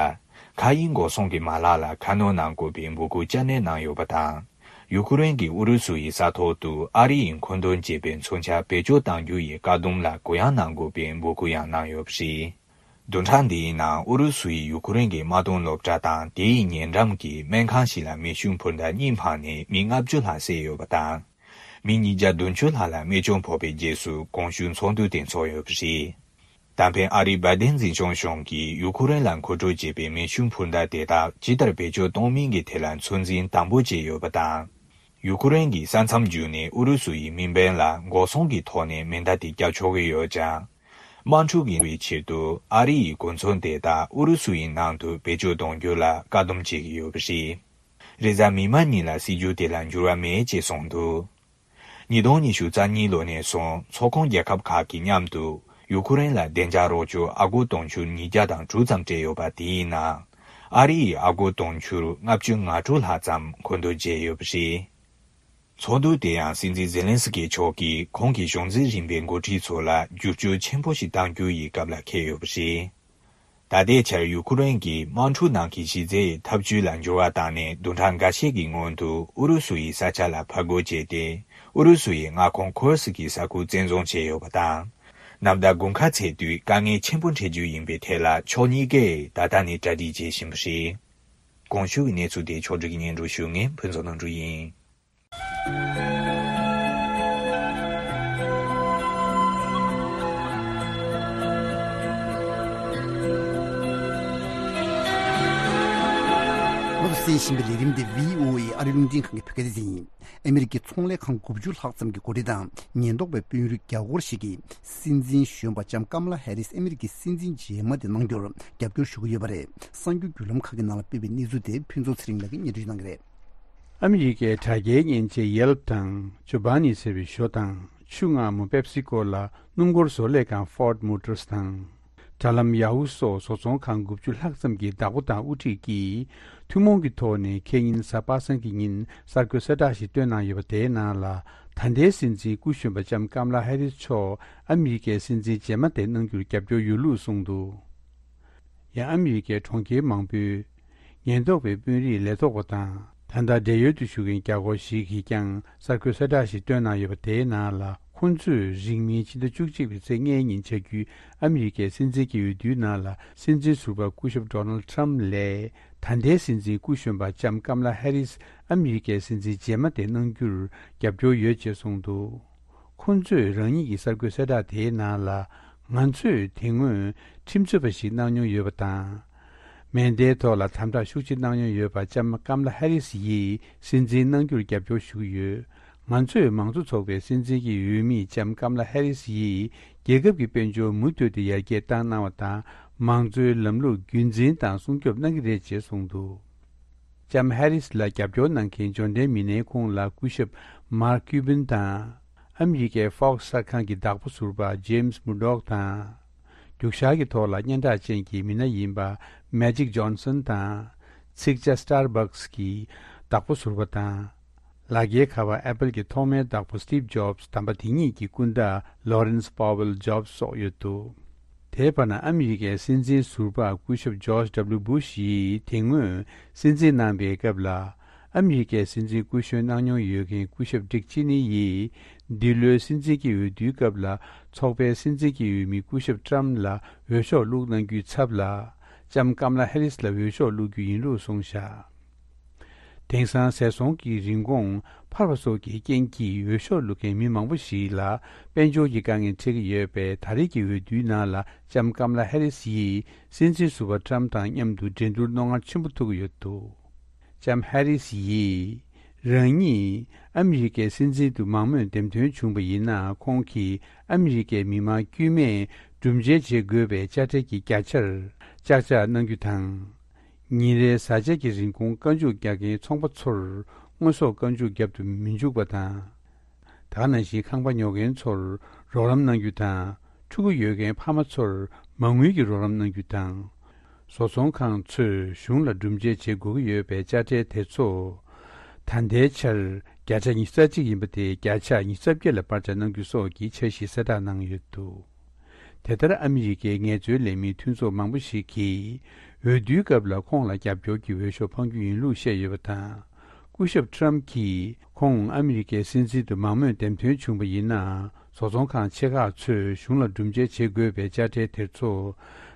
མཁའ་དབྱིངས་འགོག་སྲུང་གི་མ་ལག་ལ་ཁ་སྣོན་གནང་དགོས་པའི་འབོད་སྐུལ་བསྐྱར་ནན་གནང་ཡོད་པ་དང་། ཡུ་ཀེ་རེན་གྱིས་ཨུ་རུ་སུ་ཡི་ས་ཐོག་ཏུ་ཨ་རི་ཡིས་མཁོ་འདོན་བྱས་པའི་མཚོན་ཆ་བེད་སྤྱོད་གཏང་རྒྱུ་ཡི་བཀག་སྡོམ་ལ་གུ་ཡངས་གནང་དགོས་པའི་འབོད་སྐུལ་ཡང་གནང་ཡོད་པ་རེད། བདུན་ཕྲག་འདིའི་ནང་ཨུ་རུ་སུ་ཡིས་ཡུ་ཀེ་རེན་གྱི་དམག་དོན་སློབ་གྲྭ་དང་དེའི་ཉེ་འགྲམ་གྱི་སྨན་ཁང་ཞིག་ལ་མེ་ཤུགས་འཕུར་མདའ་གཉིས་འཕངས་ནས་མི་ལྔ་བཅུ་ལྷག་བསད་ཡོད་པ་དང་། མི་ཉིས་བརྒྱ་བདུན་ཅུ་ལྷག་ལ་རྨས་སྐྱོན་ཕོག་པའི་རྗེས་སུ་གོང་ཞུས་ཚོགས་འདུ་དེ་འཚོགས་ཡོད་པ་རེད། ད་ཕན་ཨ་རིའི་བའི་ཌེན་འཛིན་སྐྱོང་གཞུང་གིས་ཡུ་ཁུ་རེན་ལ་མཁོ་སྤྲོད་བྱས་པའི་མེ་ཤུགས་འཕུར་མདའ་དེ་དག་ཇི་ལྟར་བེད་སྤྱོད་གཏོང་མིན་གྱི་ཐད་ལ་ཚོད་འཛིན་དམ་པོ་བྱས་ཡོད་པ་དང་། ཡུ་ཁུ་རེན་གྱིས་ས་མཚམས་བརྒྱུད་ནས་ཨུ་རུ་སུ་ཡི་མི་འབོར་ལ་འགོག་སྲུང་གི་ཐོག་ནས་མེ་མདའ་དེ་བརྒྱབ་ཆོག་གི་ཡོད་ཀྱང་། དམག་འཁྲུག་གི་བའི་ཆེད་དུ་ཨ་རི་ཡི་གོ་མཚོན་དེ་དག་ཨུ་རུ་སུ་ཡི་ནང་དུ་བེད་སྤྱོད་གཏོང་རྒྱུ་ལ་བཀག་སྡོམ་བྱེད་ཀྱི་ཡོད་པ་རེད། རེས་གཟའ་མིག་དམར་ཉིན་ལ་སྲིད་ཇུས་དེ་ལ་འགྱུར་བ་མེད་ཅེས་གསུངས་འདུག། ཉིས་སྟོང་ཉི་ཤུ་རྩ་གཉིས་ལོ་ནས་བཟུང་ཚོགས་ཁོངས་རྒྱལ་ཁབ་ཁག་གི་མཉམ་དུ་ཡུ་ཁུ་རེན་ལ་བདེ་འཇགས་རོགས་སྐྱོར་ཨ་སྒོར་དུང་ཕྱུར་ཉིས་བརྒྱ་དང་དྲུག་ཙམ་སྤྲད་ཡོད་པ་དེའི་ནང་ཨ་རི་ཡིས་ཨ་སྒོར་དུང་ཕྱུར་ལྔ་བཅུ་ང་དྲུག་ལྷག་ཙམ་མཁོ་འདོན་བྱས་ཡོད་པ་རེད། ཚོགས་འདུ་དེ་ཡང་སྲིད་འཛིན་ཛེ་ལན་སི་ཀི་མཆོག་གིས་ཁོང་གི་གཞུང་འཛིན་རིམ་པའི་འགོ་ཁྲིད་ཚོ་ལ་བསྒྱུར་བཅོས་ཆེན་པོ་ཞིག་གཏང་རྒྱུ་ཡི་སྐབས་ལ་འཁེལ་ཡོད་པ་རེད། ད་ལྟའི་ཆར་ཡུ་ཁུ་རེན་གྱིས་དམག་འཁྲུག་ནང་གི་གཞི་རྩའི་འཐབ་ཇུས་ལ་འགྱུར་བ་བཏང་ནས་བདུན་ཕྲག་འགའ་ཤས་ཀྱི་སྔོན་དུ་ཨུ་རུ་སུ་ཡི་ས་ཆ་ལ་ཕར་རྒོལ་བྱས་ཏེ། ཨུ་རུ་སུ་ཡི་མངའ་ཁོངས་ཁུར་སི་ཀི་ས་ཁུལ་བཙན་བཟུང་བྱས་ཡོད་པ་དང་། ནམ་ཟླ་དགུན་ཁ་ཚེས་དུས་དཀའ་ངལ་ཆེན་པོ་འཕྲད་རྒྱུ་ཡིན་པའི་ཐད་ལ་ཕྱོགས་གཉིས་ཀས་ད་ལྟ་ནས་གྲ་སྒྲིག་བྱེད་བཞིན་པ་རེད། གོང་ཞུས་ཀྱི་གནས་ཚུལ་དེ་ཕྱོགས་སྒྲིག་སྙན་སྒྲོན་ཞུ་མཁན་ཕུན་ཚོགས་ནོར་འཁྲུལ་ཡིན། ང་ཚོ་གསན་བཞིན་པའི་ལས་རིམ་འདི་བྷི་ཨོ་ཨེ་ཨ་རི་རླུང་འཕྲིན་ཁང་གི་བོད་སྐད་སྡེ་ཚན་ཡིན། ཨ་མི་རི་ཀའི་ཚོང་ལས་ཁང་དགུ་བཅུ་ལྷག་ཙམ་གྱི་འགོ་ཁྲིད་དང་ཉེན་རྟོག་པའི་དཔོན་རིགས་བརྒྱ་སྐོར་ཞིག་གིས་སྲིད་འཛིན་གཞོན་པ་ལྕམ་ཀམ་ལ་ཧེ་རིས་ཨ་མི་རི་ཀའི་སྲིད་འཛིན་རྗེས་མ་དེ་གནང་རྒྱུར་རྒྱབ་སྐྱོར་ཞུ་གི་ཡོད་པ་རེད། གསར་འགྱུར་བརྒྱུད་ལམ་ཁག་གི་ནང་ལ་སྤེལ་བའི་གནས་ཚུལ་དེ་ཕུན་ཚོགས་ཚེ་རིང་ལགས་ཀྱིས་སྙན་སྒྲོན་གནང་གི་རེད། ཨ་མི་རི་ཀའི་དྲ་རྒྱའི་མཉེན་ཆས་Yelp་དང་ཇོ་བྷ་ནི་ཟེར་བའི་ཞོ་དང་ཆུ་མངར་མོ་Pepsi་Cola་སྣུམ་འཁོར་བཟོ་ལས་ཁང་Ford Motors་དང་། དྲ་ལམ་Yahoo་སོགས་བཟོ་ཚོང་ཁང་དགུ་བཅུ་ལྷག་ཙམ་གྱི་བདག་པོ་དང་དབུ་ཁྲིད་ཀྱིས་ཐུན་མོང་གི་ཐོག་ནས་ཁེ་ཉིན་གཟའ་པ་སངས་ཀྱི་ཉིན་གསར་འགོད་གསལ་བསྒྲགས་ཤིག་བཏོན་གནང་ཡོད་པ་དེའི་ནང་ལ་ད་ལྟའི་སྲིད་འཛིན་སྐུ་གཞོན་པ་ལྕམ་ཀམ་ལ་ཧེ་རིས་མཆོག་ཨ་མི་རི་ཀའི་སྲིད་འཛིན་རྗེས་མ་དེ་གནང་རྒྱུར་རྒྱབ་སྐྱོར་ཡོད་ལུགས་གསུངས་འདུག། ཡང་ཨ་མི་རི་ཀའི་གྲོང་ཁྱེར་མང་པོའི་ཉེན་རྟོག་པའི་དཔོན་རིགས་ལས་ཐོག་པ་དང་ད་ལྟ་བགྲེས་ཡོལ་དུ་བཞུགས་མཁན་བརྒྱ་སྐོར་ཞིག་གིས་ཀྱང་གསར་འགོད་གསལ་བསྒྲགས་ཤིག་བཏོན་གནང་ཡོད་པ་དེའི་ནང་ལ་ཁོང་ཚོས་རིང་མིན་ཕྱི་ཟླ་བཅུ་གཅིག་པའི་ཚེས་ལྔའི་ཉིན་བྱ་རྒྱུའི་ཨ་མི་རི་ཀའི་སྲིད་འཛིན་གྱི་འོས་བསྡུའི་ནང་ལ་སྲིད་འཛིན་ཟུར་པ་སྐུ་ཞབས་Donald Trump་ལས་ད་ལྟའི་སྲིད་འཛིན་སྐུ་གཞོན་པ་ལྕམ་ཀམ་ལ་ཧེ་རིས་ཨ་མི་རི་ཀའི་སྲིད་འཛིན་རྗེས་མ་དེ་གནང་རྒྱུར་རྒྱབ་སྐྱོར་ཡོད་ཅེས་གསུངས་འདུག། ཁོང་ཚོས་རང་ཉིད་ཀྱི་གསར་འགོད་གསལ་བསྒྲགས་དེའི་ནང་ལ་ང་ཚོས་དེ་སྔོན་ཁྲིམས་རྩོད་པ་ཞིག་གནང་མྱོང་ཡོད་པ་དང་། མེ་མདའི་ཐོག་ལ་དམ་དྲག་ཤུགས་ཆེ་གནང་མྱོང་ཡོད་པ་ལྕམ་ཀམ་ལ་ཧེ་རིས་ཡིས་སྲིད་འཛིན་གནང་རྒྱུར་རྒྱབ་སྐྱོར་ཞུ་གི་ཡོད། ང་ཚོས་མང་གཙོ་ཚོགས་པའི་སྲིད་འཛིན་གྱི་འོས་མི་ལྕམ་ཀམ་ལ་ཧེ་རིས་ཡིས་རྒྱལ་ཁབ་ཀྱི་དཔལ་འབྱོར་མུ་མཐུད་དུ་ཡར་རྒྱས་བཏང་གནང་བ་དང་མང་གཙོའི་ལམ་ལུགས་རྒྱུན་འཛིན་དང་སྲུང་སྐྱོབ་གནང་གི་རེད་ཅེས་གསུངས་འདུག། ལྕམ་ཧེ་རིས་ལ་རྒྱབ་སྐྱོར་གནང་མཁན་འབྱོར་ལྡན་མི་སྣའི་ཁོངས་ལ་སྐུ་ཞབས་Mark Cuban་དང་། ཨ་མི་རི་ཀའི་Fox་གསར་ཁང་གི་བདག་པོ་ཟུར་པ་James Murdoch་དང་། རྒྱུག་ཤར་གྱི་ཐོག་ལ་སྙན་གྲགས་ཅན་གྱི་མི་སྣ་ཡིན་པ་Magic Johnson་དང་། ཚིག་ཇ་Starbucks་གི་བདག་པོ་ཟུར་པ་དང་། ལག་འཁྱེར་ཁ་པར་Apple་གྱི་ཐོག་མའི་བདག་པོ་Steve Jobs་དམ་པ་དེ་ཉིད་ཀྱི་སྐུ་ཟླ་Laurence Powell་Jobs་སོགས་ཡོད་འདུག་དེའི་བར་ན་ཨ་མི་རི་ཀའི་སྲིད་འཛིན་ཟུར་པ་སྐུ་ཞབས་George W Bush་ཡིས་དེ་སྔོན་སྲིད་འཛིན་གནང་པའི་སྐབས་ལ། ཨ་མི་རི་ཀའི་སྲིད་འཛིན་སྐུ་གཞོན་གནང་མྱོང་ཡོད་མཁན་སྐུ་ཞབས་Dick Cheney་ཡིས། འདི་ལོའི་སྲིད་འཛིན་གྱི་འོས་བསྡུའི་སྐབས་ལ། ཚོགས་པའི་སྲིད་འཛིན་གྱི་འོས་མི་སྐུ་ཞབས་Trump་ལ་འོས་ཤོག་བླུགས་གནང་རྒྱུའི་ཚབ་ལ། ལྕམ་ཀམ་ལ་ཧེ་རིས་ལ་འོས་ཤོག་བླུགས་རྒྱུ་ཡིན་ལུགས་གསུངས་བཞག་དེང་སང་ཟས་སོང་གི་རིན་གོང་འཕར་བ་སོགས་ཀྱི་རྐྱེན་གྱིས་འོས་ཤོག་བླུག་མཁན་མི་མང་པོ་ཞིག་ལ་དཔལ་འབྱོར་གྱི་དཀའ་ངལ་འཕྲད་ཀྱི་ཡོད་པས། ད་རེས་ཀྱི་འོས་བསྡུའི་ནང་ལ་ལྕམ་ཀམ་ལ་ཧེ་རིས་ཡིས་སྲིད་འཛིན་ཟུར་པ་Trump་དང་མཉམ་དུ་འགྲན་བསྡུར་རྣོ་ངར་ཆེན་པོ་ཐུབ་ཀྱི་ཡོད་འདུག་ལྕམ་ཧེ་རིས་ཡིས་རང་ཉིད་ཨ་མི་རི་ཀའི་སྲིད་འཛིན་དུ་མང་མོས་འདེམས་ཐོན་བྱུང་བ་ཡིན་ན། ཁོང་གིས་ཨ་མི་རི་ཀའི་མི་མང་དཀྱུས་མས་སྒྲུབ་འཇལ་བྱེད་དགོས་པའི་དཔྱ་ཁྲལ་གྱི་བརྒྱ་ཆར་ལྕག་ལྕག་གནང་རྒྱུ་དང་། ཉིན་རེའི་བཟའ་བཅའ་གི་རིན་གོང་བཀའ་འཇུག་རྒྱག་མཁན་ཚོང་པ་ཚོར་དངོས་ཟོག་བཀའ་འཇུག་བརྒྱབ་ཏུ་མི་འཇུག་པ་དང་། ད་ག་ནང་བཞིན་ཁང་པ་ཉོ་མཁན་ཚོར་རོགས་རམ་གནང་རྒྱུ་དང་། ཕྲུ་གུ་ཡོད་མཁན་ཕ་མ་ཚོར་མ་དངུལ་གྱི་རོགས་རམ་གནང་རྒྱུ་དང་། བཟོ་ཚོང་ཁང་ཚོས་གཞུང་ལ་སྒྲུབ་འཇལ་བྱེད་དགོས་ཀྱི་ཡོད་པའི་དཔྱ་ཁྲལ་དེ་ཚོ། ད་ལྟའི་ཆར་བརྒྱ་ཆ་ཉི་ཤུ་རྩ་གཅིག་ཡིན་པ་དེ་བརྒྱ་ཆ་ཉི་ཤུ་རྩ་བརྒྱད་ལ་སྤར་ཆ་གནང་རྒྱུ་སོགས་ཀྱི་འཆར་གཞི་གསལ་བསྒྲགས་གནང་ཡོད་འདུག་དེ་ལྟར་ཨ་མི་རི་ཀའི་ངལ་རྩོལ་ལས་མི་མཐུན་ཚོགས་མང་པོ་ཞིག་གིས་འོས་བསྡུའི་སྐབས་ལ་ཁོང་ལ་རྒྱབ་སྐྱོར་གྱི་འོས་ཤོག་འཕང་རྒྱུ་ཡིན་ལུགས་བཤད་ཡོད་པ་དང་། སྐུ་ཞབས་Trump་གྱིས་ཁོང་ཨ་མི་རི་ཀའི་སྲིད་འཛིན་དུ་མང་མོས་འདེམས་ཐོན་བྱུང་བ་ཡིན་ན། བཟོ་ཚོང་ཁང་ཆེ་ཁག་ཚོས་གཞུང་ལ་སྒྲུབ་འཇལ་བྱེད་དགོས་པའི་དཔྱ་ཁྲལ་དེ་ཚོ་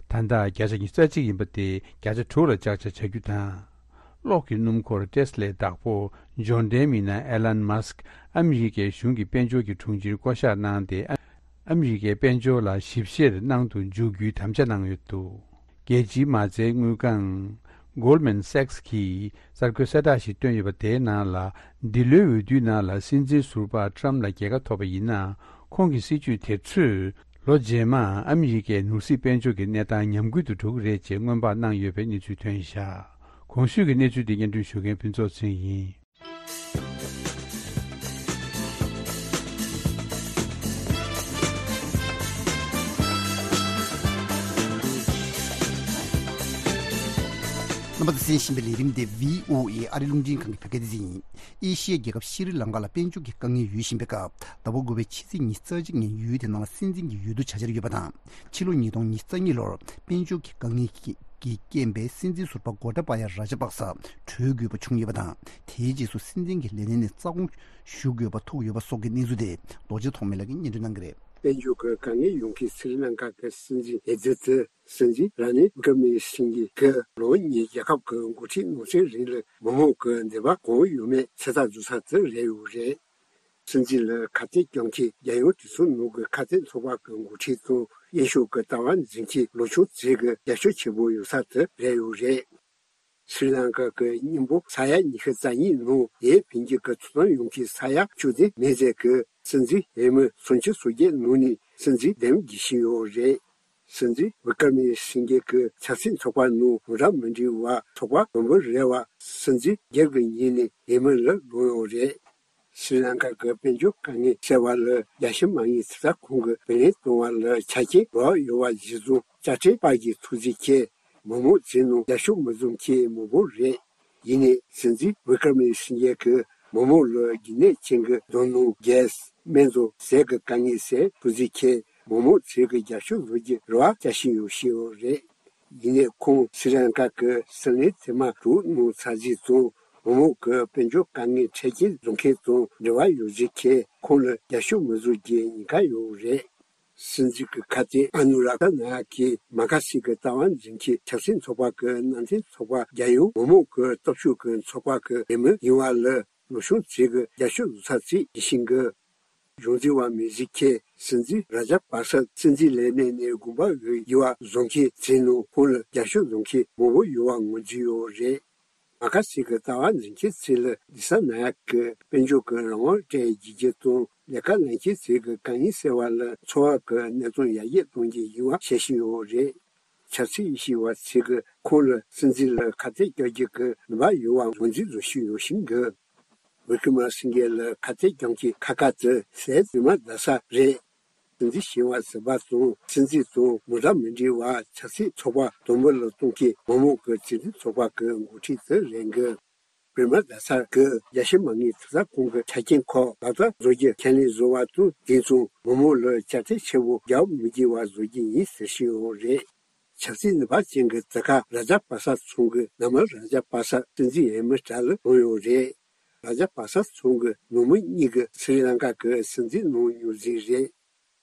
ད་ལྟ་བརྒྱ་ཆ་ཉི་ཤུ་རྩ་གཅིག་ཡིན་པ་དེ་བརྒྱ་ཆ་དྲུག་ལ་ལྕག་ཆ་བྱ་རྒྱུ་དང་། གློག་གི་སྣུམ་འཁོར་Tesla་བདག་པོ་འབྱོར་ལྡན་མི་སྣ་Elon Musk་ཨ་མི་རི་ཀའི་གཞུང་གི་དཔལ་འབྱོར་གྱི་དྲུང་ཆེར་བསྐོ་གཞག་གནང་སྟེ། ཨ་མི་རི་ཀའི་དཔལ་འབྱོར་ལ་ཞིབ་བཤེར་གནང་དུ་འཇུག་རྒྱུའི་དམ་བཅའ་གནང་ཡོད་འདུག་རྒྱལ་སྤྱིའི་མ་རྩའི་དངུལ་ཁང་Goldman Sachs་གིས་གསར་འགོད་གསལ་བསྒྲགས་ཤིག་བཏོན་ཡོད་པ། དེའི་ནང་ལ། འདི་ལོའི་འོས་བསྡུའི་ནང་ལ་སྲིད་འཛིན་ཟུར་པ་Trump་ལ་རྒྱལ་ཁ་ཐོབ་པ་ཡིན་ན། ཁོང་གི་སྲིད་ཇུས་དེ་ཚོས་ལོ་རྗེས་མར་ཨ་མི་རི་ཀའི་ནོར་སྲིད་དཔལ་འབྱོར་གྱི་གནས་སྟངས་ཉམས་རྒུད་དུ་འགྲོ་གི་རེད་ཅེས་སྔོན་དཔག་གནང་ཡོད་པའི་གནས་ཚུལ་ཐོན་བཞག་གོང་ཞུས་ཀྱི་གནས་ཚུལ་འདི་སྙན་སྒྲོན་ཞུ་མཁན་ཕུན་ཚོགས་ཚེ་རིང་ཡིན། རྣམ་པ་ཚོས་གསན་བཞིན་པའི་ལས་རིམ་དེ་བྷི་ཨོ་ཨེ་ཨ་རིའི་རླུང་འཕྲིན་ཁང་གི་བོད་སྐད་སྡེ་ཚན་ཡིན། ཨེ་ཤི་ཡའི་རྒྱལ་ཁབ་ཤྲི་ལང་ཀ་ལ་དཔལ་འབྱོར་གྱི་དཀའ་ངལ་ཡོད་བཞིན་པའི་སྐབས། ཟླ་བ་དགུ་པའི་ཕྱི་ཚེས་ཉི་ཤུ་རྩ་གཅིག་ཉིན་ཡུལ་དེ་ནང་ལ་སྲིད་འཛིན་གྱི་འོས་བསྡུ་བྱ་འཆར་ཡོད་པ་དང་། ཕྱི་ལོ་ཉིས་སྟོང་ཉི་ཤུ་རྩ་གཉིས་ལོར་དཔལ་འབྱོར་གྱི་དཀའ་ངལ་གྱི་རྐྱེན་པས་སྲིད་འཛིན་ཟུར་པ་གོ་ཏ་པ་ཡ་ར་ཇ་པག་ས་གྲོལ་དགོས་པ་བྱུང་ཡོད་པ་དང་། དེའི་རྗེས་སུ་སྲིད་འཛིན་གྱི་ལས་གནས་ནས་རྩ་དགོངས་ཞུ་དགོས་པ་ཐུག་ཡོད་པ་སོགས་ཀྱི་གནས་ཚུལ་དེ། རྡོ་རྗེ་ཐོགས་མེད་ལགས་ཀྱིས་སྙན་སྒྲོན་གནང་གི་རེད། དཔལ་འབྱོར་གྱི་དཀའ་ངལ་ཡོང་མཁན་སི་རི་ལང་ཀ་གི་སྲིད་འཛིན་ཨེ་ཛི་ཏི་སྲིད་འཛིན་ར་ནིལ་ཝི་ཀར་མ་སིང་གྷེ་གིས་ལོ་གཉིས་རྒྱལ་ཁབ་ཀྱི་འགོ་ཁྲིད་ནང་སྲིད་རིང་ལ་མི་མང་གི་འདོད་པ་གང་ཡོད་མེད་ཚོད་ལྟ་བཟོ་ས་དེ་རེད་ཡོད་རེད། སྲིད་འཛིན་ལ་ཁ་གཏད་གཅོག་མཁན་རྒྱལ་ཡོངས་གྲོས་ཚོགས་ནང་གི་ཁ་གཏད་ཚོགས་པ་གི་འགོ་ཁྲིད་དང་། དབྱིན་ཤོག་གི་ལྟ་བ་འཛིན་མཁན་ལོ་ཆུང་ཚོས་ཀྱི་རྒྱབ་སྐྱོར་ཆེན་པོ་ཡོད་ས་དེ་རེད་ཡོད་རེད། སི་རི་ལང་ཀ་གི་མཉམ་པོ་ས་ཡ་ཉི་ཤུ་རྩ་གཉིས་ནང་ཡས་འཕེན་རྒྱུ་གི་ཐོབ་ཐང་ཡོད་མཁན་ས་ཡ་བཅུ་དེ་མེད་ཚད་ཀྱི་སྲིད་འཛིན་འོས་མི་སུམ་ཅུ་སོ་བརྒྱད་ནང་ནས་སྲིད་འཛིན་འདེམས་རྒྱུ་བྱས་ཡོད་རེད། སྲིད་འཛིན་ཝི་ཀར་མ་སིང་གྷེ་གི་ཆབ་སྲིད་ཚོགས་པ་ནང་འདྲ་མི་འདྲ་བ་ཚོགས་པ་མང་པོ་རེད་བ། སྲིད་འཛིན་སྒེར་གྱི་ངོས་ནས་འོས་མི་ལ་ལོག་ཡོད་རེད། སི་རི་ལང་ཀ་གི་དཔལ་འབྱོར་དཀའ་ངལ་སེལ་བ་ལ་རྒྱལ་སྤྱི་མ་དངུལ་ཚོད་ལྟ་ཁང་གིས་བུ་ལོན་གཏོང་བ་ལ་ཆ་རྐྱེན་རག་ཡོད་པ་གཞིར་བཟུང་དཔྱ་ཁྲལ་སྤར་རྒྱུའི་ཐུགས་རྗེ་ཆེ། མི་མང་ཚོའི་ནང་རྒྱབ་སྐྱོར་མི་འཛོམས་མཁན་མང་པོ་རེད། ཡིན་ནའི་སྲིད་འཛིན་ཝི་ཀར་མ་སིང་གྷེ་གིས་མི་མང་ལ་རྒྱུན་གནས་ཅན་གྱི་རྡོ་སྣུམ། གྷེ་སི། སྨན་བཅོས་ཟས་ཀྱི་དཀའ་ངལ་སེལ་ཐུགས་རྗེ་ཆེ། མི་མང་ཚོས་ཀྱི་རྒྱབ་སྐྱོར་བཟོ་རྒྱུ་རེ་བ་བསྐྱེད་བཞིན་ཡོད་ཞུས་ཡོད་རེད། ཡིན་ནའི་ཁོང་སི་རི་ལང་ཀ་གི་སྲིད་བློན་ཐེངས་མ་དྲུག་གནང་ཚར་རྗེས་ཙང་། མི་མང་གི་དཔལ་འབྱོར་དཀའ་ངལ་འཕྲལ་རྐྱེན་བཟོ་མཁན་དང་འབྲེལ་བ་ཡོད་ཚུལ་གྱིས་ཁོང་ལ་རྒྱབ་སྐྱོར་མི་བཟོ་རྒྱུའི་ཉེན་ཁ་ཡོད་རེད། སྲིད་འཛིན་གྱི་ཁ་གཏད་ཨ་ནུ་རག་ཏ་ནཱ་ཡག་གིས་མ་ཁ་སི་གི་ལྟ་བ་འཛིན་མཁན་ཆབ་སྲིད་ཚོགས་པ་གི་མནའ་མཐུན་ཚོགས་པ་རྒྱལ་ཡོངས་མི་མང་གི་སྟོབས་ཤུགས་ཀྱི་ཚོགས་པ་གི་འོས་མི་ཡིན་པ་ལ་ལོ་ཆུང་ཚོས་ཀྱི་རྒྱབ་སྐྱོར་བཟོ་ས་ཞིག་ཡིན་ཞིང་གི། གཞུང་འཛིན་པ་མི་ཞིག་གིས་སྲིད་འཛིན་ར་ཇ་པག་ས་སྲིད་འཛིན་ལས་གནས་ནས་དགོངས་པ་འོས་ཡོད་པ་བཟོ་མཁན་ཚོའི་ནང་ཁོང་ལ་རྒྱབ་སྐྱོར་བཟོ་མཁན་མང་པོ་ཡོད་པ་ངོས་འཛིན་ཡོད་རེད། མ་ཁ་སི་གི་ལྟ་བ་འཛིན་མཁན་ཚོས་ལ་ལི་ས་ན་ཡག་གིས་དཔལ་འབྱོར་གྱི་རང་དབང་སྤྲད་རྒྱུ་དང་ལས་ཀ་ལེན་མཁན་ཚོའི་གི་དཀའ་ངལ་སེལ་བ་ལ་འཚོ་བ་གི་གནས་སྟངས་ཡར་རྒྱས་གཏོང་རྒྱུ་ཡིན་པ་བཤད་བཞིན་ཡོད་རེད། ཆབ་སྲིད་ཞིབ་པ་ཚོས་ཀྱིས་ཁོང་ལ་སྲིད་འཛིན་ལ་ཁ་གཏད་གཅོག་རྒྱུ་གི་ནུས་པ་ཡོད་པ་ངོས་འཛིན་བཟོ་བཞིན་ཡོད་ཤིང་གི། བོད་ཁྱིམ་སེང་གེ་ལ་ཁ་གཏད་གྱོང་གི་ཁ་ཁ་ཙི་ཟས་རྫུན་མ་བརྡ་ས་རེད། སྲིད་འཛིན་ཞི་བ་ཟུར་པ་དང་སྲིད་འཛིན་དང་མི་འདྲ་མི་འདྲ་བ་ཆབ་སྲིད་ཚོགས་པ་དུམ་བུ་ལ་གཏོང་མཁན་མི་མང་གི་སྲིད་འཛིན་ཚོགས་པ་གི་འགོ་ཁྲིད་དུ་རེད་འགི། བོད་མི་རྡ་ས་གི་རྒྱལ་སྤྱི་མ་དངུལ་ཐོབ་ཐང་ཁང་གི་ཆ་རྐྱེན་ཁག་ལག་བསྟར་བཟོ་རྒྱུ་ཁས་ལེན་བཟོ་བ་དང་དེ་མཚུངས་མི་མང་ལ་དཔྱ་ཁྲལ་ཆེ་བོ་རྒྱག་མི་དགོས་པ་བཟོ་རྒྱུ་ཡིན་ཟེར་བཞིན་ཡོད་རེད། ཆབ་སྲིད་ནུས་པ་ཅན་གྱི་ཛ་ཁ་ར་ཇ་པ་ས་ཚང་གི་ནང་མི་ར་ཇ་པ་ས་སྲིད་འཛིན་འོས་མི་གྲས་ལ་བླངས་ཡོད་རེད། ར་ཇ་པ་ས་ཚང་གི་ནང་མི་གཉིས་ཀྱིས་སི་རི་ལང་ཀ་གི་སྲིད་འཛིན་གནང་མྱོང་ཟིག་རེད།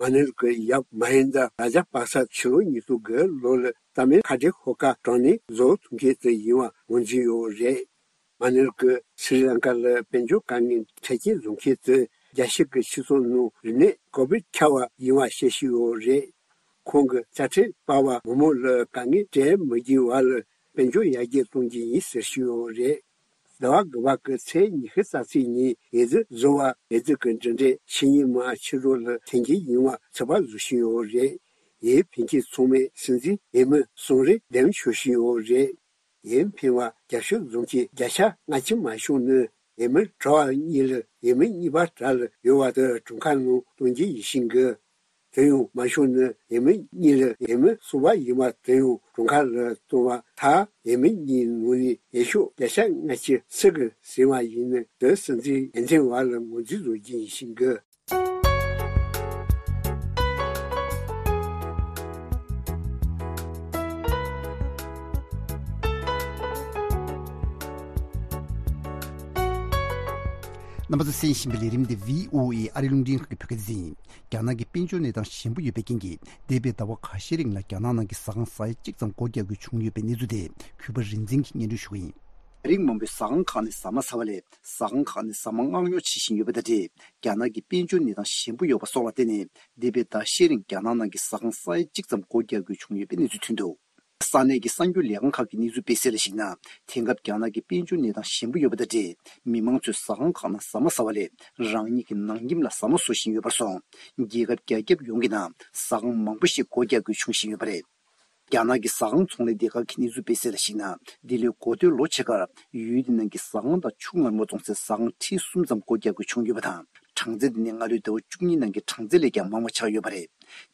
མ་ནེལ་གྱི་ཡབ་མ་ཧིན་ད་ར་ཇ་པ་ས་ཕྱི་ལོ་ཉིས་སྟོང་དགུ་ལོ་ལ་ཏ་མིལ་ཁ་བྲལ་ཤོག་ཁག་དྲངས་ནས་བཟོ་ཐུབ་མཁན་དེ་ཡིན་པ་ངོས་འཛིན་ཡོད་རེད། མ་ནེལ་གྱིས་སི་རི་ལང་ཀ་ལ་དཔལ་འབྱོར་དཀའ་ངལ་འཕྲད་རྐྱེན་བཟོ་མཁན་དེ་རྒྱལ་སྤྱི་གི་སྤྱི་ཚོགས་ནང་རིམས་ནད་ཀོ་བིད་ཁྱབ་པ་ཡིན་པ་བཤད་བཞིན་ཡོད་རེད། ཁོང་གིས་དཔྱ་ཁྲལ་སྤར་བ་མི་མང་ལ་དཀའ་ངལ་འཕྲད་མི་དགོས་པ་ལ་དཔལ་འབྱོར་ཡར་རྒྱས་གཏོང་རྒྱུ་ཡིན་ཟེར་བཞིན་ཡོད་རེད། ཟླ་བ་དགུ་པ་གི་ཚེས་ཉི་ཤུ་རྩ་གཅིག་ཉིན་འོས་བསྡུ་བཟོ་བ་འོས་བསྡུ་གི་འབྲེལ་འདྲིས་ཕྱི་ཉིན་མ་ཕྱི་དྲོ་ལ་འཐེན་གྱི་ཡིན་པ་ཚོད་དཔག་བཟོ་བཞིན་ཡོད་རེད། འོས་འཕེན་མཁན་ཚང་མས་སྲིད་འཛིན་འོས་མི་གསུམ་རེ་འདེམས་ཆོག་བཞིན་ཡོད་རེད། འོས་འཕེན་པ་རྒྱབ་སྐྱོར་བཟོ་མཁན་བརྒྱ་ཆ་ལྔ་བཅུ་མ་ཤོང་ནི་འོས་མི་གྲྭ་པ་གཉིས་ལ་འོས་མི་གཉིས་པ་གྲས་ལ་ཡོད་པ་དེ་གྲངས་ཀ་ནང་གཏོང་རྒྱུ་ཡིན་བཞིན་གི། དེ་ཡང་མ་ཤོང་ནི་འོས་མི་གཉིས་ལ་འོས་མི་གསུམ་པ་ཡིན་པ་དེ་ཡང་གྲངས་ཀ་ལ་གཏོང་བ་མཐར་འོས་མི་གཉིས་ནང་ནས་འོས་ཤོག་བརྒྱ་ཆ་ལྔ་བཅུ་སུ་གིས་ཟིན་པ་ཡིན་ནི་དེ་སྲིད་འཛིན་འོས་འཕེན་པ་ལ་ངོས་འཛིན་བཟོ་རྒྱུ་ཡིན་བཞིན་གི། རྣམ་པ་ཚོས་གསན་བཞིན་པའི་ལས་རིམ་འདི་བྷི་ཨོ་ཨེ་ཨ་རིའི་རླུང་འཕྲིན་ཁང་གི་བོད་སྐད་སྡེ་ཚན་ཡིན། རྒྱ་ནག་གི་དཔལ་འབྱོར་གནས་སྟངས་ཞན་པོ་ཡོད་པའི་རྐྱེན་གྱིས། འདས་པའི་ཟླ་བ་ཁ་ཤས་རིང་ལ་རྒྱ་ནག་ནང་གི་ཟ་ཁང་ས་ཡ་གཅིག་ཙམ་སྒོ་རྒྱག་དགོས་བྱུང་ཡོད་པའི་གནས་ཚུལ་དེ་གུས་པ་རིག་འཛིན་གྱིས་སྙན་སྒྲོན་ཞུ་གི་ཡིན། རིང་མང་པོའི་ཟ་ཁང་ཁག་ནས་ཟ་མ་ཟ་བ་ལས། ཟ་ཁང་ཁག་ནས་ཟ་མ་མངགས་ཉོ་བྱེད་བཞིན་ཡོད་པ་དང་འབྲེལ། རྒྱ་ནག་གི་དཔལ་འབྱོར་གནས་སྟངས་ཞན་པོ་ཡོད་པ་སོགས་ལ་བརྟེན་ནས། འདས་པའི་ཟླ་ཤས་རིང་རྒྱ་ནག་ནང་གི་ཟ་ཁང་ས་ཡ་གཅིག་ཙམ་སྒོ་རྒྱག་དགོས་བྱུང་ཡོད་པའི་གནས་ཚུལ་ཐོན་འདུག། ས་གནས་ཀྱི་གསར་འགྱུར་ལས་ཁང་ཁག་གི་གནས་ཚུལ་སྤེལ་གསལ་ལ་གཞིགས་ན། དེང་སྐབས་རྒྱ་ནག་གི་དཔལ་འབྱོར་གནས་སྟངས་ཞན་པོ་ཡོད་པ་དང་འབྲེལ། མི་མང་ཚོས་ཟ་ཁང་ཁག་ནང་ཟ་མ་ཟ་བ་ལས། རང་ཉིད་ཀྱི་ནང་ཁྱིམ་ལ་ཟ་མ་བཟོ་བཞིན་ཡོད་པར་སོང་། རྒྱལ་ཁབ་རྒྱ་ཁྱབ་ཡོངས་ཀྱི་ནང་ཟ་ཁང་མང་པོ་ཞིག་སྒོ་རྒྱག་དགོས་བྱུང་བཞིན་ཡོད་པ་རེད། རྒྱ་ནག་གི་ཟ་ཁང་ཚོང་ལས་སྡེ་ཁག་གི་གནས་ཚུལ་སྤེལ་གསལ་ལ་གཞིགས་ན། འདི་ལོའི་འགོ་སྟོད་ལོ་ཕྱེད་ཀར་ཡུལ་དེ་ནང་གི་ཟ་ཁང་དང་ཆུ་མངར་མོ་བཙོང་སའི་ཟ་ཁང་ཁྲི་གསུམ་ཙམ་སྒོ་རྒྱག་དགོས་བྱུང་ཡོད་པ་དང་། གྲངས་ཚད་དེ་ནི་སྔ་ལོའི་ཟླ་བ་བཅུ་གཉིས་ནང་གི་གྲངས་ཚད་ལས་ཀྱང་མང་བ་ཆགས་ཡོད་པ་རེད།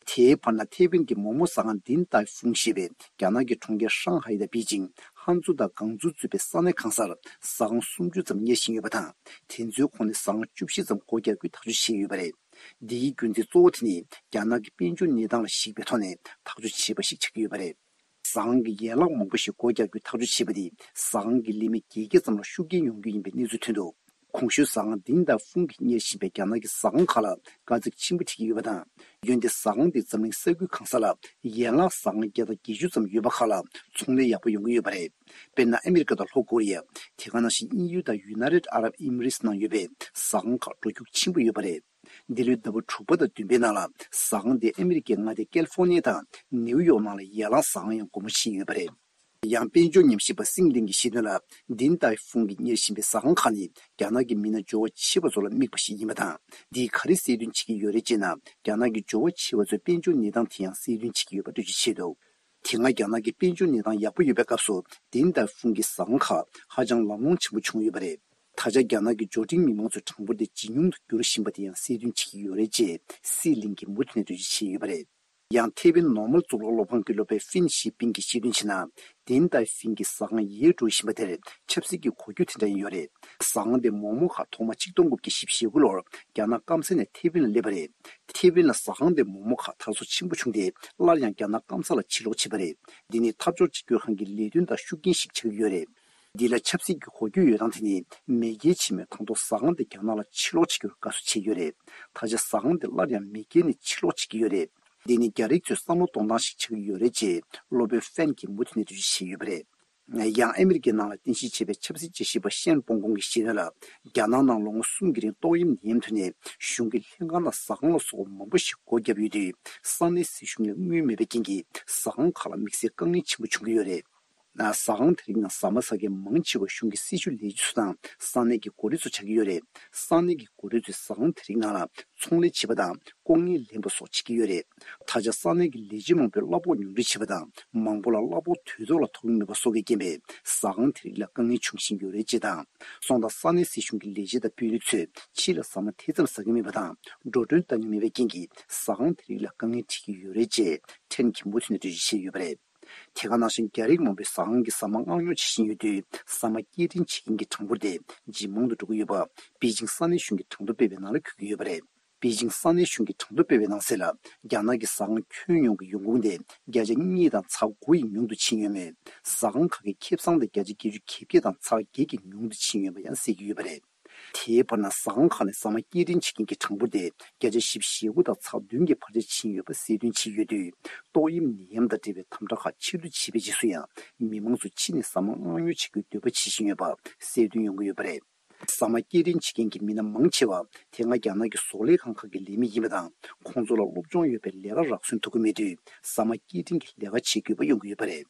དེའི་བར་ན་ཐེ་ཝན་གྱི་མོག་མོག་ཟ་ཁང་དིན་ཏའེ་ཧྥུང་ཞེས་པས་རྒྱ་ནག་གི་གྲོང་ཁྱེར་ཧྲང་ཧའེ་དང་པེ་ཅིང་། ཧན་ཙུའུ་དང་ཀང་ཙུའུ་གཙོས་པའི་ས་གནས་གང་སར་ཟ་ཁང་སུམ་ཅུ་ཙམ་གཉེར་བཞིན་ཡོད་པ་དང་། དེ་ཚོའི་ཁོངས་ནས་ཟ་ཁང་བཅུ་བཞི་ཙམ་སྒོ་རྒྱག་རྒྱུའི་ཐག་གཅོད་བྱས་ཡོད་པ་རེད། འདིའི་རྒྱུ་མཚན་གཙོ་བོ་དེ་ནི་རྒྱ་ནག་གི་དཔལ་འབྱོར་གནས་སྟངས་ལ་གཞིགས་པའི་ཐོག་ནས་ཐག་གཅོད་བྱས་པ་ཞིག་ཆགས་ཀྱི་ཡོད་པ་རེད། ཟ་ཁང་གི་ཡན་ལག་མང་པོ་ཞིག་སྒོ་རྒྱག་རྒྱུའི་ཐག་གཅོད་བྱས་པ་དེས་ཟ་ཁང་གི་ལས་མི་བརྒྱད་བརྒྱ་ཙམ་ལ་ཤུགས་རྐྱེན་ཡོང་རྒྱུ་ཡིན་པའི་གནས་ཚུལ་ཐོན་འདུག། གོང་ཞུས་ཟ་ཁང་དིན་ཏའེ་ཧྥུང་གིས་གཉེར་བཞིན་པའི་རྒྱ་ནག་གི་ཟ་ཁང་ཁག་ལ་དཀའ་ཚེགས་ཆེན་པོ་འཕྲད་ཀྱི་ཡོད་པ་དང་། འོན་ཏེ་ཟ་ཁང་དེས་འཛམ་གླིང་ས་ཁུལ་གང་ས་ལ་ཡན་ལག་ཟ་ཁང་བརྒྱ་དང་བརྒྱད་ཅུ་ཙམ་ཡོད་པ་ཁག་ལ་ཚོང་ལས་ཡག་པོ་ཡོང་གི་ཡོད་པ་རེད། དཔེར་ན་ཨ་མི་རི་ཀ་དང་ལྷོ་ཀོ་རི་ཡ། དེ་ག་ནང་བཞིན་དབྱིན་ཡུལ་དང་ཡུ་ནའི་ཊེཌ་ཨ་རབ་ཨི་མི་རེ་ཊི་ནང་ཡོད་པའི་ཟ་ཁང་ཁག་འགྲོ་རྒྱུག་ཆེན་པོ་ཡོད་པ་རེད། འདི་ལོའི་ཟླ་བ་དྲུག་པ་དང་བདུན་པའི་ནང་ལ་ཟ་ཁང་དེ་ཨ་མི་རི་ཀའི་མངའ་སྡེ་ཀལ་ཧྥོར་ནི་ཡ་དང་ནེའུ་ཡོག་ནང་ལ་ཡན་ལག་ཟ་ཁང་ཡང་སྒོ་མོ་ཕྱེ་ཡོད་པ་རེད། ཡང་དཔལ་འབྱོར་ཉམས་ཞིབ་པ་སིང་ལིང་གིས་བཤད་དོན་ལ། དིན་ཏའེ་ཧྥུང་གིས་གཉེར་བཞིན་པའི་ཟ་ཁང་ཁག་ནི་རྒྱ་ནག་གི་མི་སྣ་འབྱོར་བ་ཆེ་བ་ཚོ་ལ་དམིགས་པ་ཞིག་ཡིན་པ་དང་། འདིས་ག་རེ་གསལ་སྟོན་བྱེད་ཀྱི་ཡོད་རེད་ཅེ་ན། རྒྱ་ནག་གི་འབྱོར་བ་ཆེ་བ་ཚོའི་དཔལ་འབྱོར་གནས་སྟངས་དེ་ཡང་གསལ་སྟོན་བྱེད་ཀྱི་ཡོད་པ་འགྲེལ་བརྗོད་བྱས་འདུག། དེ་སྔ་རྒྱ་ནག་གི་དཔལ་འབྱོར་གནས་སྟངས་ཡག་པོ་ཡོད་པའི་སྐབས་སུ་དིན་ཏའེ་ཧྥུང་གི་ཟ་ཁང་ཁག་ཧ་ཅང་ལམ་ལྷོང་ཆེན་པོ་བྱུང་ཡོད་པ་རེད། ད་ཆ་རྒྱ་ནག་གི་འབྱོར་འབྲིང་མི་མང་ཚོའི་གྲངས་འབོར་དེ་ཇེ་ཉུང་དུ་འགྱུར་བཞིན་པ་དེ་ཡང་གསལ་སྟོན་བྱེད་ཀྱི་ཡོད་རེད་ཅེས་སི་ལིང་གིས་མུ་མཐུད་ནས་འགྲེལ་བརྗོད་བྱས་ཡོད་པ་རེད། ཡང་ཐེ་ཝན་ནོར་མལ་གཙུག་ལག་སློབ་ཁང་གི་སློབ་དཔོན་ཧྥིན་ཞི་པིན་གྱིས་བཤད་དོན་བྱས་ན། དིན་ཏའེ་ཧྥིན་གྱི་ཟ་ཁང་ཡལ་འགྲོ་བཞིན་པ་དེར་ཆབ་སྲིད་ཀྱི་གོ་རྒྱུ་དེ་འདྲ་ཡང་ཡོད་རེད། ཟ་ཁང་དེ་མོག་མོག་ཁག་ཐོག་མ་ཆིག་སྟོང་དགུ་བརྒྱ་བཞི་བཅུ་ཞེ་དགུ་ལོར་རྒྱ་ནག་སྐམ་ས་ནས་ཐེ་ཝན་ལ་སླེབས་པ་རེད། ཐེ་ཝན་ལ་ཟ་ཁང་དེ་མོག་མོག་ཁག་དར་སྲོལ་ཆེན་པོ་བྱུང་སྟེ། སླར་ཡང་རྒྱ་ནག་སྐམ་ས་ལ་ཕྱིར་ལོག་བྱས་པ་རེད། འདི་ནི་འཐབ་ཕྱོགས་གཅིག་གྱུར་ཁང་གི་ལས་དོན་དང་ཤུགས་རྐྱེན་ཞིག་ཆགས་ཀྱི་ཡོད་རེད། འདི་ལ་ཆབ་སྲིད་ཀྱི་གོ་རྒྱུ་ཡོད་སྟངས་དེ་ནི། མེས་རྒྱལ་ཆེན་མོས་དང་ཐོག་ཟ་ཁང་དེ་རྒྱ་ནག་ལ་ཕྱིར་སློག་བྱེད་རྒྱུར་དགའ་བསུ་བྱས་ཡོད་རེད། ད་ཆ་ཟ་ཁང་དེ་སླར་ཡང་མེས་རྒྱལ་ནས་ཕྱིར་སློག་བྱེད་ཀྱི་ཡོད་རེད། འདི་ནི་རྒྱ་རིགས་ཚོས་བསམ་བློ་གཏོང་སྟངས་ཤིག་ཆགས་ཀྱི་ཡོད་རེད་ཅེས་སློབ་དཔོན་ཧྥན་གྱིས་མུ་མཐུད་ནས་འགྲེལ་བརྗོད་བྱས་ཡོད་པ་རེད། ཡང་ཨ་མི་རི་ཀའི་ནང་ལ་རྟེན་གཞི་བྱས་པའི་ཆབ་སྲིད་དཔྱད་ཞིབ་པ་ཤན་པོང་ཀོང་གིས་བཤད་དོན་ལ། རྒྱ་ནག་ནང་ལོ་ངོ་གསུམ་གྱི་རིང་ཏོག་དབྱིབས་ནད་ཡམས་ཐོན་ནས། གཞུང་གི་ལྷན་ཁང་དང་ཟ་ཁང་ལ་སོགས་པ་མང་པོ་ཞིག་སྒོ་བརྒྱབ་ཡོད་དུས། ས་གནས་སྲིད་གཞུང་ལ་དངུལ་མེད་པའི་རྐྱེན་གྱིས། ཟ་ཁང་ཁག་ལ་དམིགས་བསལ་དཀའ་ངལ་ཆེན་པོ་བྱུང་གི་ཡོད་རེད། ཟ་ཁང་དེ་རིགས་ནང་ཟ་མ་ཟ་མཁན་མང་ཆེ་བ་གཞུང་གི་སྲི་ཞུ་ལས་བྱེད་ཚོ་དང་ས་གནས་ཀྱི་འགོ་ཁྲིད་ཚོ་ཆགས་ཀྱི་ཡོད་རེད། ས་གནས་ཀྱི་འགོ་ཁྲིད་ཚོས་ཟ་ཁང་དེ་རིགས་ནང་ལ་ཚོང་ལས་བྱེད་པ་དང་ལྐོག་རྔན་ལེན་པ་སོགས་བྱེད་ཀྱི་ཡོད་རེད། ད་ཆ་ས་གནས་ཀྱི་ལས་བྱེད་མང་པོས་གླ་ཕོགས་ཉུང་འཕྲི་བྱེད་པ་དང་མང་པོ་ལ་གླ་ཕོགས་དུས་ཐོག་ལ་ཐོབ་ཀྱི་མེད་པ་སོགས་ཀྱི་རྐྱེན་པས་ཟ་ཁང་དེ་རིགས་ལ་དཀའ་ངལ་འབྱུང་བཞིན་ཡོད་རེད་ཅེས་དང་། སོང་ཙང་ས་གནས་སྲིད་གཞུང་གི་ལས་བྱེད་དང་དཔོན་རིགས་ཚོས་ཕྱི་ལ་ཟ་མ་དེ་ཙམ་ཟ་གི་མེད་པ་དང་འགྲོ་གྲོན་གཏང་གི་མེད་པའི་རྐྱེན་གྱིས་ཟ་ཁང་དེ་རིགས་ལ་དཀའ་ངལ་འཕྲད་ཀྱི་ཡོད་རེད་ཅེས་ཁྲེན་གྱིམ་པོ་ཐོན་ནས་འགྲེལ་བརྗོད་བྱས་ཡོད་པ་རེད། དེ་ག་ནང་བཞིན་རྒྱ་རིགས་མང་པོས་ཟ་ཁང་གི་ཟ་མ་མངགས་ཉོ་བྱེད་བཞིན་ཡོད་དུས་ཟ་མ་སྐྱེལ་འདྲེན་བྱེད་མཁན་གྱི་གྲངས་འབོར་དེ་ཇེ་མང་དུ་འགྲོ་གི་ཡོད་པ་པེ་ཅིང་ས་གནས་གཞུང་གི་གྲངས་ཐོ་སྤེལ་བའི་ནང་ལ་འཁོད་ཀྱི་ཡོད་པ་རེད། པེ་ཅིང་ས་གནས་གཞུང་གི་གྲངས་ཐོ་སྤེལ་བའི་ནང་གསལ་ལ། རྒྱ་ནག་གི་ཟ་ཁང་ཁྱོན་ཡོངས་ཀྱི་ཡོང་ཁུངས་དེ་བརྒྱ་ཆ་གཉིས་དང་ཚེག་དགུ་ཡིས་ཉུང་དུ་ཕྱིན་ཡོད་མོད། ཟ་ཁང་ཁག་གི་ཁེ་བཟང་དེ་བརྒྱ་ཆ་བརྒྱད་ཅུ་གྱ་བརྒྱད་དང་ཚེག་བརྒྱད་ཀྱིས་ཉུང་དུ་ཕྱིན་ཡོད་པ་ཡང་གསལ་གྱི་ཡོད་པ་རེད། དེའི་བར་ན་ཟ་ཁང་ཁག་ནས་ཟ་མ་སྐྱེལ་འདྲེན་བྱེད་མཁན་གྱི་གྲངས་འབོར་དེ་བརྒྱ་ཆ་བཞི་བཅུ་ཞེ་དགུ་དང་ཚེག་བདུན་གྱི་འཕར་ཆ་ཕྱིན་ཡོད་པ་གསལ་སྟོན་བྱས་ཡོད་དུས། ཏོག་དབྱིབས་ནད་ཡམས་དང་འབྲེལ་བའི་དམ་དྲག་ཁག་ཕྱིར་བསྡུ་བྱས་པའི་རྗེས་སུ་ཡང་མི་མང་ཚོ་ཕྱི་ནས་ཟ་མ་མངགས་ཉོ་བྱེད་རྒྱུའི་འདོད་པ་བྱེད་བཞིན་ཡོད་པ་གསལ་སྟོན་ཡོང་གི་ཡོད་པ་རེད། ཟ་མ་སྐྱེལ་འདྲེན་བྱེད་མཁན་གྱི་མི་སྣ་མང་ཆེ་བ་དེ་སྔ་རྒྱ་ནག་གི་བཟོ་ལས་ཁང་ཁག་གི་ལས་མི་ཡིན་པ་དང་། ཁོང་ཚོ་ལ་སློབ་སྦྱོང་ཡོད་པའི་ལས་ཀ་རག་སོན་ཐུབ་ཀྱི་མེད་དུས་ཟ་མ་སྐྱེལ་འདྲེན་གྱི་ལས་ཀ་བྱེད་དགོས་པ་ཡོང་གི་ཡོད་པ་རེད།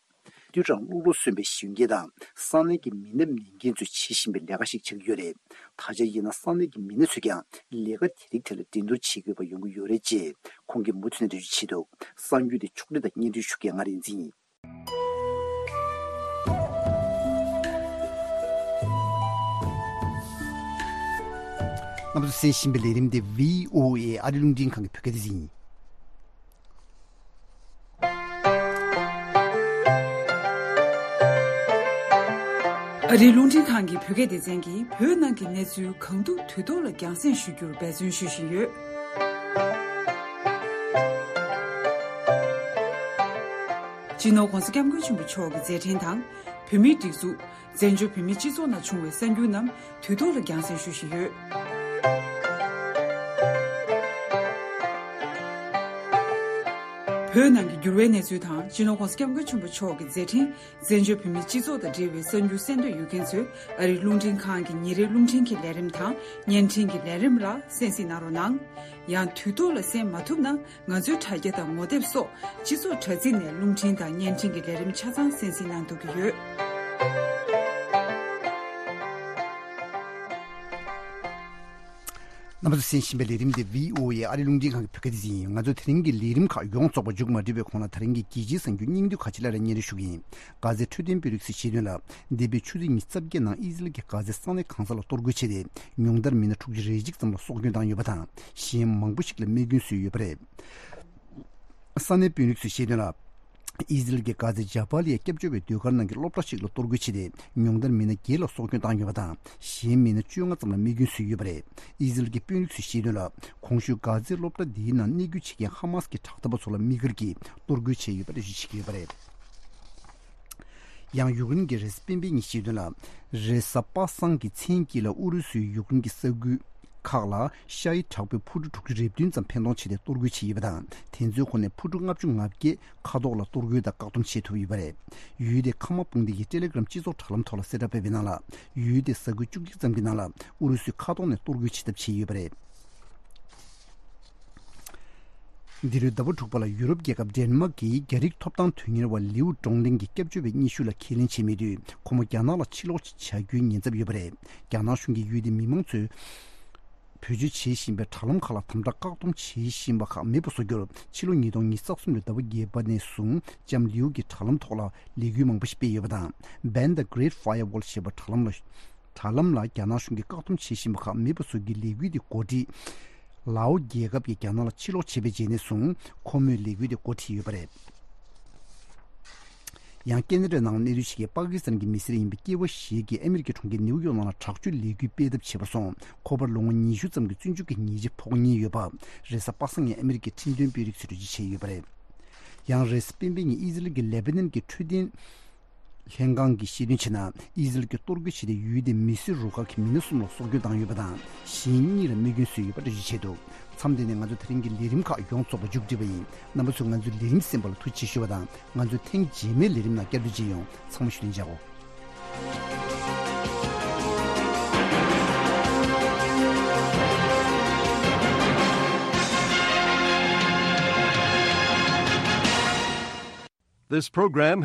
དུས་རང་གློ་ལོ་གསོན་པའི་གཞོན་སྐྱེས་དང་ས་གནས་ཀྱི་མི་ནད་ནད་འགོས་ཚོས་བྱེད་བཞིན་པའི་ལས་ཀ་ཞིག་ཆགས་ཀྱི་ཡོད་རེད། ད་ཆ་ཡིན་ན་ས་གནས་ཀྱི་མི་སྣ་ཚོས་ཀྱང་ལས་ཀ་དེ་རིགས་ཐད་ལ་འགྲན་བསྡུར་བྱེད་དགོས་པ་ཡོང་གི་ཡོད་རེད་ཅེས་ཁོང་གིས་མུ་མཐུད་ནས་འགྲེལ་བརྗོད་བྱས་འདུག་གསར་འགྱུར་དེ་ཕྱོགས་སྒྲིག་དང་སྙན་སྒྲོན་ཞུ་མཁན་ང་རིག་འཛིན་ཡིན། རྣམ་པ་ཚོས་གསན་བཞིན་པའི་ལས་རིམ་དེ་བྷི་ཨོ་ཨེ་ཨ་རི་རླུང་འཕྲིན་ཁང་གི་བོད་སྐད་སྡེ་ཚན་ཡིན། ཨ་རིའི་རླུང་འཕྲིན་ཁང་གི་བོད་སྐད་སྡེ་ཚན་གྱིས་བོད་ནང་གི་གནས་ཚུལ་གང་ཐུབ་དུས་ཐོག་ལ་རྒྱང་སྲིང་ཞུ་རྒྱུར་འབད་བརྩོན་ཞུ་བཞིན་ཡོད། སྤྱི་ནོར་༧གོང་ས་༧སྐྱབས་མགོན་ཆེན་པོ་མཆོག་གི་མཛད་འཕྲིན་དང་། བོད་མིའི་སྒྲིག་འཛུགས། བཙན་བྱོལ་བོད་མིའི་སྤྱི་ཚོགས་ནང་བྱུང་བའི་གསར་འགྱུར་རྣམས་དུས་ཐོག་ལ་རྒྱང་སྲིང་ཞུ་བཞིན་ཡོད། བོད་ནང་གི་འགྱུར་བའི་གནས་ཚུལ་དང་། སྤྱི་ནོར་༧གོང་ས་༧སྐྱབས་མགོན་ཆེན་པོ་མཆོག་གི་མཛད་འཕྲིན། བཙན་བྱོལ་བོད་མིའི་སྤྱི་ཚོགས་དང་འབྲེལ་བའི་གསར་འགྱུར་གསན་འདོད་ཡོད་མཁན་ཚོས་ཨ་རིའི་རླུང་འཕྲིན་ཁང་གི་ཉིན་རེའི་རླུང་འཕྲིན་གྱི་ལས་རིམ་དང་བརྙན་འཕྲིན་གྱི་ལས་རིམ་ལ་གསན་གཟིགས་གནང་རོགས་གནང་། ཡང་དུས་ཐོག་ལ་གསན་མ་ཐུབ་ན། ང་ཚོའི་དྲ་རྒྱ་དང་ངོ་དེབ་སོགས་སྤྱི་ཚོགས་དྲ་ཚིགས་ནས་རླུང་འཕྲིན་དང་བརྙན་འཕྲིན་གྱི་ལས་རིམ་ཆ་ཚང་གསན་གཟིགས་གནང་ཐུབ་ཀྱི་ཡོད། རྣམ་པ་ཚོས་གསན་བཞིན་པའི་ལས་རིམ་འདི་བྷི་ཨོ་ཨེ་ཨ་རིའི་རླུང་འཕྲིན་ཁང་གི་བོད་སྐད་སྡེ་ཚན་ཡིན། ང་ཚོས་དེ་རིང་གི་ལས་རིམ་ཁག་ཡོངས་རྫོགས་པ་མཇུག་མ་སྒྲིལ་བའི་གོང་ལ་དེ་རིང་གི་རྒྱལ་སྤྱིའི་གསར་འགྱུར་སྙིང་བསྡུས་ཁག་ཅིག་སླར་ཡང་སྙན་སྒྲོན་ཞུ་གི་ཡིན། གྷ་ཛའི་འཕྲོད་བསྟེན་དཔོན་རིགས་ཚོས་བཤད་དོན་ལ། འདས་པའི་ཆུ་ཚོད་ཉི་ཤུ་རྩ་བརྒྱད་ནང་ཨི་ཟི་རལ་གྱིས་གྷ་ཛའི་ས་གནས་གང་ས་ལ་གཏོར་རྒོལ་བྱས་ཏེ། ཉུང་མཐར་མི་སྣ་དྲུག་ཅུ་རེ་གཅིག་ཙམ་ལ་སྲོག་སྐྱོན་བཏང་ཡོད་པ་དང་། གཞན་མང་པོ་ཞིག་ལ་རྨས་སྐྱོན་བཟོས་ཡོད་པ་རེད། ས་གནས་དཔོན་རིགས་ཚོས་བཤད་དོན་ལ། ཨི་ཟི་རལ་གྱིས་གྷ་ཛའི་ཇཱ་བཱ་ལི་ཡ་སྐྱབས་བཅོལ་བའི་སྡོད་སྒར་ནང་གི་སློབ་གྲྭ་ཞིག་ལ་གཏོར་རྒོལ་བྱས་ཏེ། ཉུང་མཐར་མི་སྣ་བརྒྱད་ལ་སྲོག་སྐྱོན་བཏང་ཡོད་པ་དང་། གཞན་མི་སྣ་བཅོ་ལྔ་ཙམ་ལ་རྨས་སྐྱོན་བཟོས་ཡོད་པ་རེད། ཨི་ཟི་རལ་གྱི་དཔོན་རིགས་ཚོས་བཤད་དོན་ལ། གོང་ཞུས་གྷ་ཛའི་སློབ་གྲྭ་འདིའི་ནང་གནས་སྐྱོང་བྱེད་མཁན་ཧ་མཱས་ཀྱི་དྲག་འཐབ་པ་ཚོ་ལ་དམིགས་བཀར་གྱིས་གཏོར་རྒོལ་བྱས་ཡོད་པ་འགྲེལ་བརྗོད་བྱེད་ཀྱི་ཡོད་པ་རེད། ཡང་ཡུཀ་རེན་གྱི་རེས་གཟའ་སྤེན་པའི་ཉིན་བཤད་དོན་ལ། རེས་གཟའ་པ་སངས་ཀྱི་མཚན་དཀྱིལ་ལ་ཨུ་རུ་སུའི་ཡུཀ་རེན་གྱི་ས་ཁུལ་ཁག་ལ་ཤ་ཡི་དྲག་པོའི་འཕུར་གྲུ་དྲུག་ཅུ་རེ་བདུན་ཙམ་འཕེན་གཏོང་བྱས་ཏེ་གཏོར་རྒོལ་བྱས་ཡོད་པ་དང་། དེ་ཚོའི་ཁོངས་ནས་འཕུར་གྲུ་ལྔ་བཅུ་ང་བརྒྱད་མཁའ་ཐོག་ལ་གཏོར་རྒོལ་དང་བཀག་སྡོམ་བྱེད་ཐུབ་ཡོད་པ་རེད། ཡུལ་དེའི་ཁ་མ་དཔུང་སྡེ་ཡིས་ཊེ་ལེ་གྷི་རམ་སྤྱི་ཚོགས་དྲ་ལམ་ཐོག་ལ་གསལ་བསྒྲགས་སྤེལ་བའི་ནང་ལ། ཡུལ་དེའི་ས་ཁུལ་བཅུ་གཅིག་ཙམ་གྱི་ནང་ལ་ཨུ་རུ་སུས་མཁའ་ཐོག་ནས་གཏོར་རྒོལ་བྱེད་ཐབས་བྱས་ཡོད་པ་རེད། འདི་ལོའི་ཟླ་བ་དྲུག་པ་ལ་ཡུ་རོབ་རྒྱལ་ཁབ་ཌེན་མཱག་གིས་རྒྱ་རིགས་ཐོབ་ཐང་དོན་གཉེར་བ་ལིའུ་ཀྲོང་ལིང་གི་སྐྱབས་བཅོལ་བའི་སྙན་ཞུ་ལ་ཁས་ལེན་བྱས་མེད་དུས། ཁོ་མོ་རྒྱ་ནག་ལ་ཕྱིར་ལོག་བྱ་རྒྱུའི་ཉེན་ཚབས་ཡོད་པ་རེད། རྒྱ་ནག་གཞུང་གིས་ཡུལ་དེའི་མི་མང་ཚོས་བེད་སྤྱོད་བྱེད་བཞིན་པའི་དྲ་ལམ་ཁག་ལ་དམ་དྲག་བཀག་སྡོམ་བྱེད་བཞིན་པ་ཁག་མེད་པ་བཟོ་རྒྱུར། ཕྱི་ལོ་ཉིས་སྟོང་ཉི་ཤུ་རྩ་གསུམ་ལོའི་ཟླ་བ་བརྒྱད་པ་ནས་བཟུང་ལྕམ་ལིའུ་གིས་དྲ་ལམ་ཐོག་ལ་ལས་འགུལ་མང་པོ་ཞིག་སྤེལ་ཡོད་པ་དང་། Ban the Great Firewall ཞེས་པ་དྲ་ལམ་ལ། དྲ་ལམ་ལ་རྒྱ་ནག་གཞུང་གིས་བཀག་སྡོམ་བྱེད་བཞིན་པ་ཁག་མེད་པ་བཟོ་རྒྱུའི་ལས་འགུལ་དེ་འགོ་ཁྲིད། ལའོ་རྒྱལ་ཁབ་ཀྱིས་རྒྱ་ནག་ལ་ཕྱིར་ལོག་བྱས་པའི་རྗེས་ནས་བཟུང་ཁོ་མོས་ལས་འགུལ་དེ་འགོ་ཁྲིད་ཡོད་པ་རེད། ཡང་ཀེ་ན་ཌའི་ནང་གནས་སྡོད་བྱེད་མཁན་པ་ཀི་སི་ཐན་གྱི་མི་སེར་ཡིན་པའི་སྐྱེས་པ་ཞིག་གིས་ཨ་མི་རི་ཀའི་གྲོང་ཁྱེར་ནེའུ་ཡོག་ནང་ལ་དྲག་སྤྱོད་ལས་འགུལ་སྤེལ་ཐབས་བྱས་པ་སོང་། ཁོ་པར་ལོ་ངོ་ཉི་ཤུ་ཙམ་གྱི་བཙོན་འཇུག་གི་ཉེས་ཆད་ཕོག་ཉེན་ཡོད་པ། རེས་གཟའ་པ་སངས་ཉིན་ཨ་མི་རི་ཀའི་ཁྲིམས་དོན་དཔོན་རིགས་ཚོས་འགྲེལ་བརྗོད་བྱས་ཡོད་པ་རེད། ཡང་རེས་གཟའ་སྤེན་པའི་ཉིན་ཨི་ཟི་རལ་གྱི་ལེ་བྷ་ནན་གྱི་འཕྲོད་བསྟེན་ལྷན་ཁང་གིས་བཤད་དོན་བྱས་ན། ཨི་ཟི་རལ་གྱིས་གཏོར་རྒོལ་བྱས་ཏེ་ཡུལ་དེའི་མི་སེར་རུ་ཁག་གི་མི་སྣ་གསུམ་ལ་སྲོག་སྐྱོན་བཏང་ཡོད་པ་དང་། གཞན་གཉིས་ལ་རྨས་སྐྱོན་བཟོས་ཡོད་པ་འགྲེལ་བརྗོད་བྱས་འདུག་མཚམས་འདི་ནས་ང་ཚོ་དེ་རིང་གི་ལས་རིམ་ཁག་ཡོངས་རྫོགས་པ་མཇུག་བསྒྲིལ་བ་ཡིན། རྣམ་པ་ཚོས་ང་ཚོའི་ལས་རིམ་གསན་པ་ལ་ཐུགས་རྗེ་ཆེ་ཞུ་བ་དང་། ང་ཚོའི་ཐེངས་རྗེས་མའི་ལས་རིམ་ནང་བསྐྱར་དུ་མཇལ་ཡོང་། ཚང་མ་བཞུགས་གདན་འཇགས་སྒོ། This program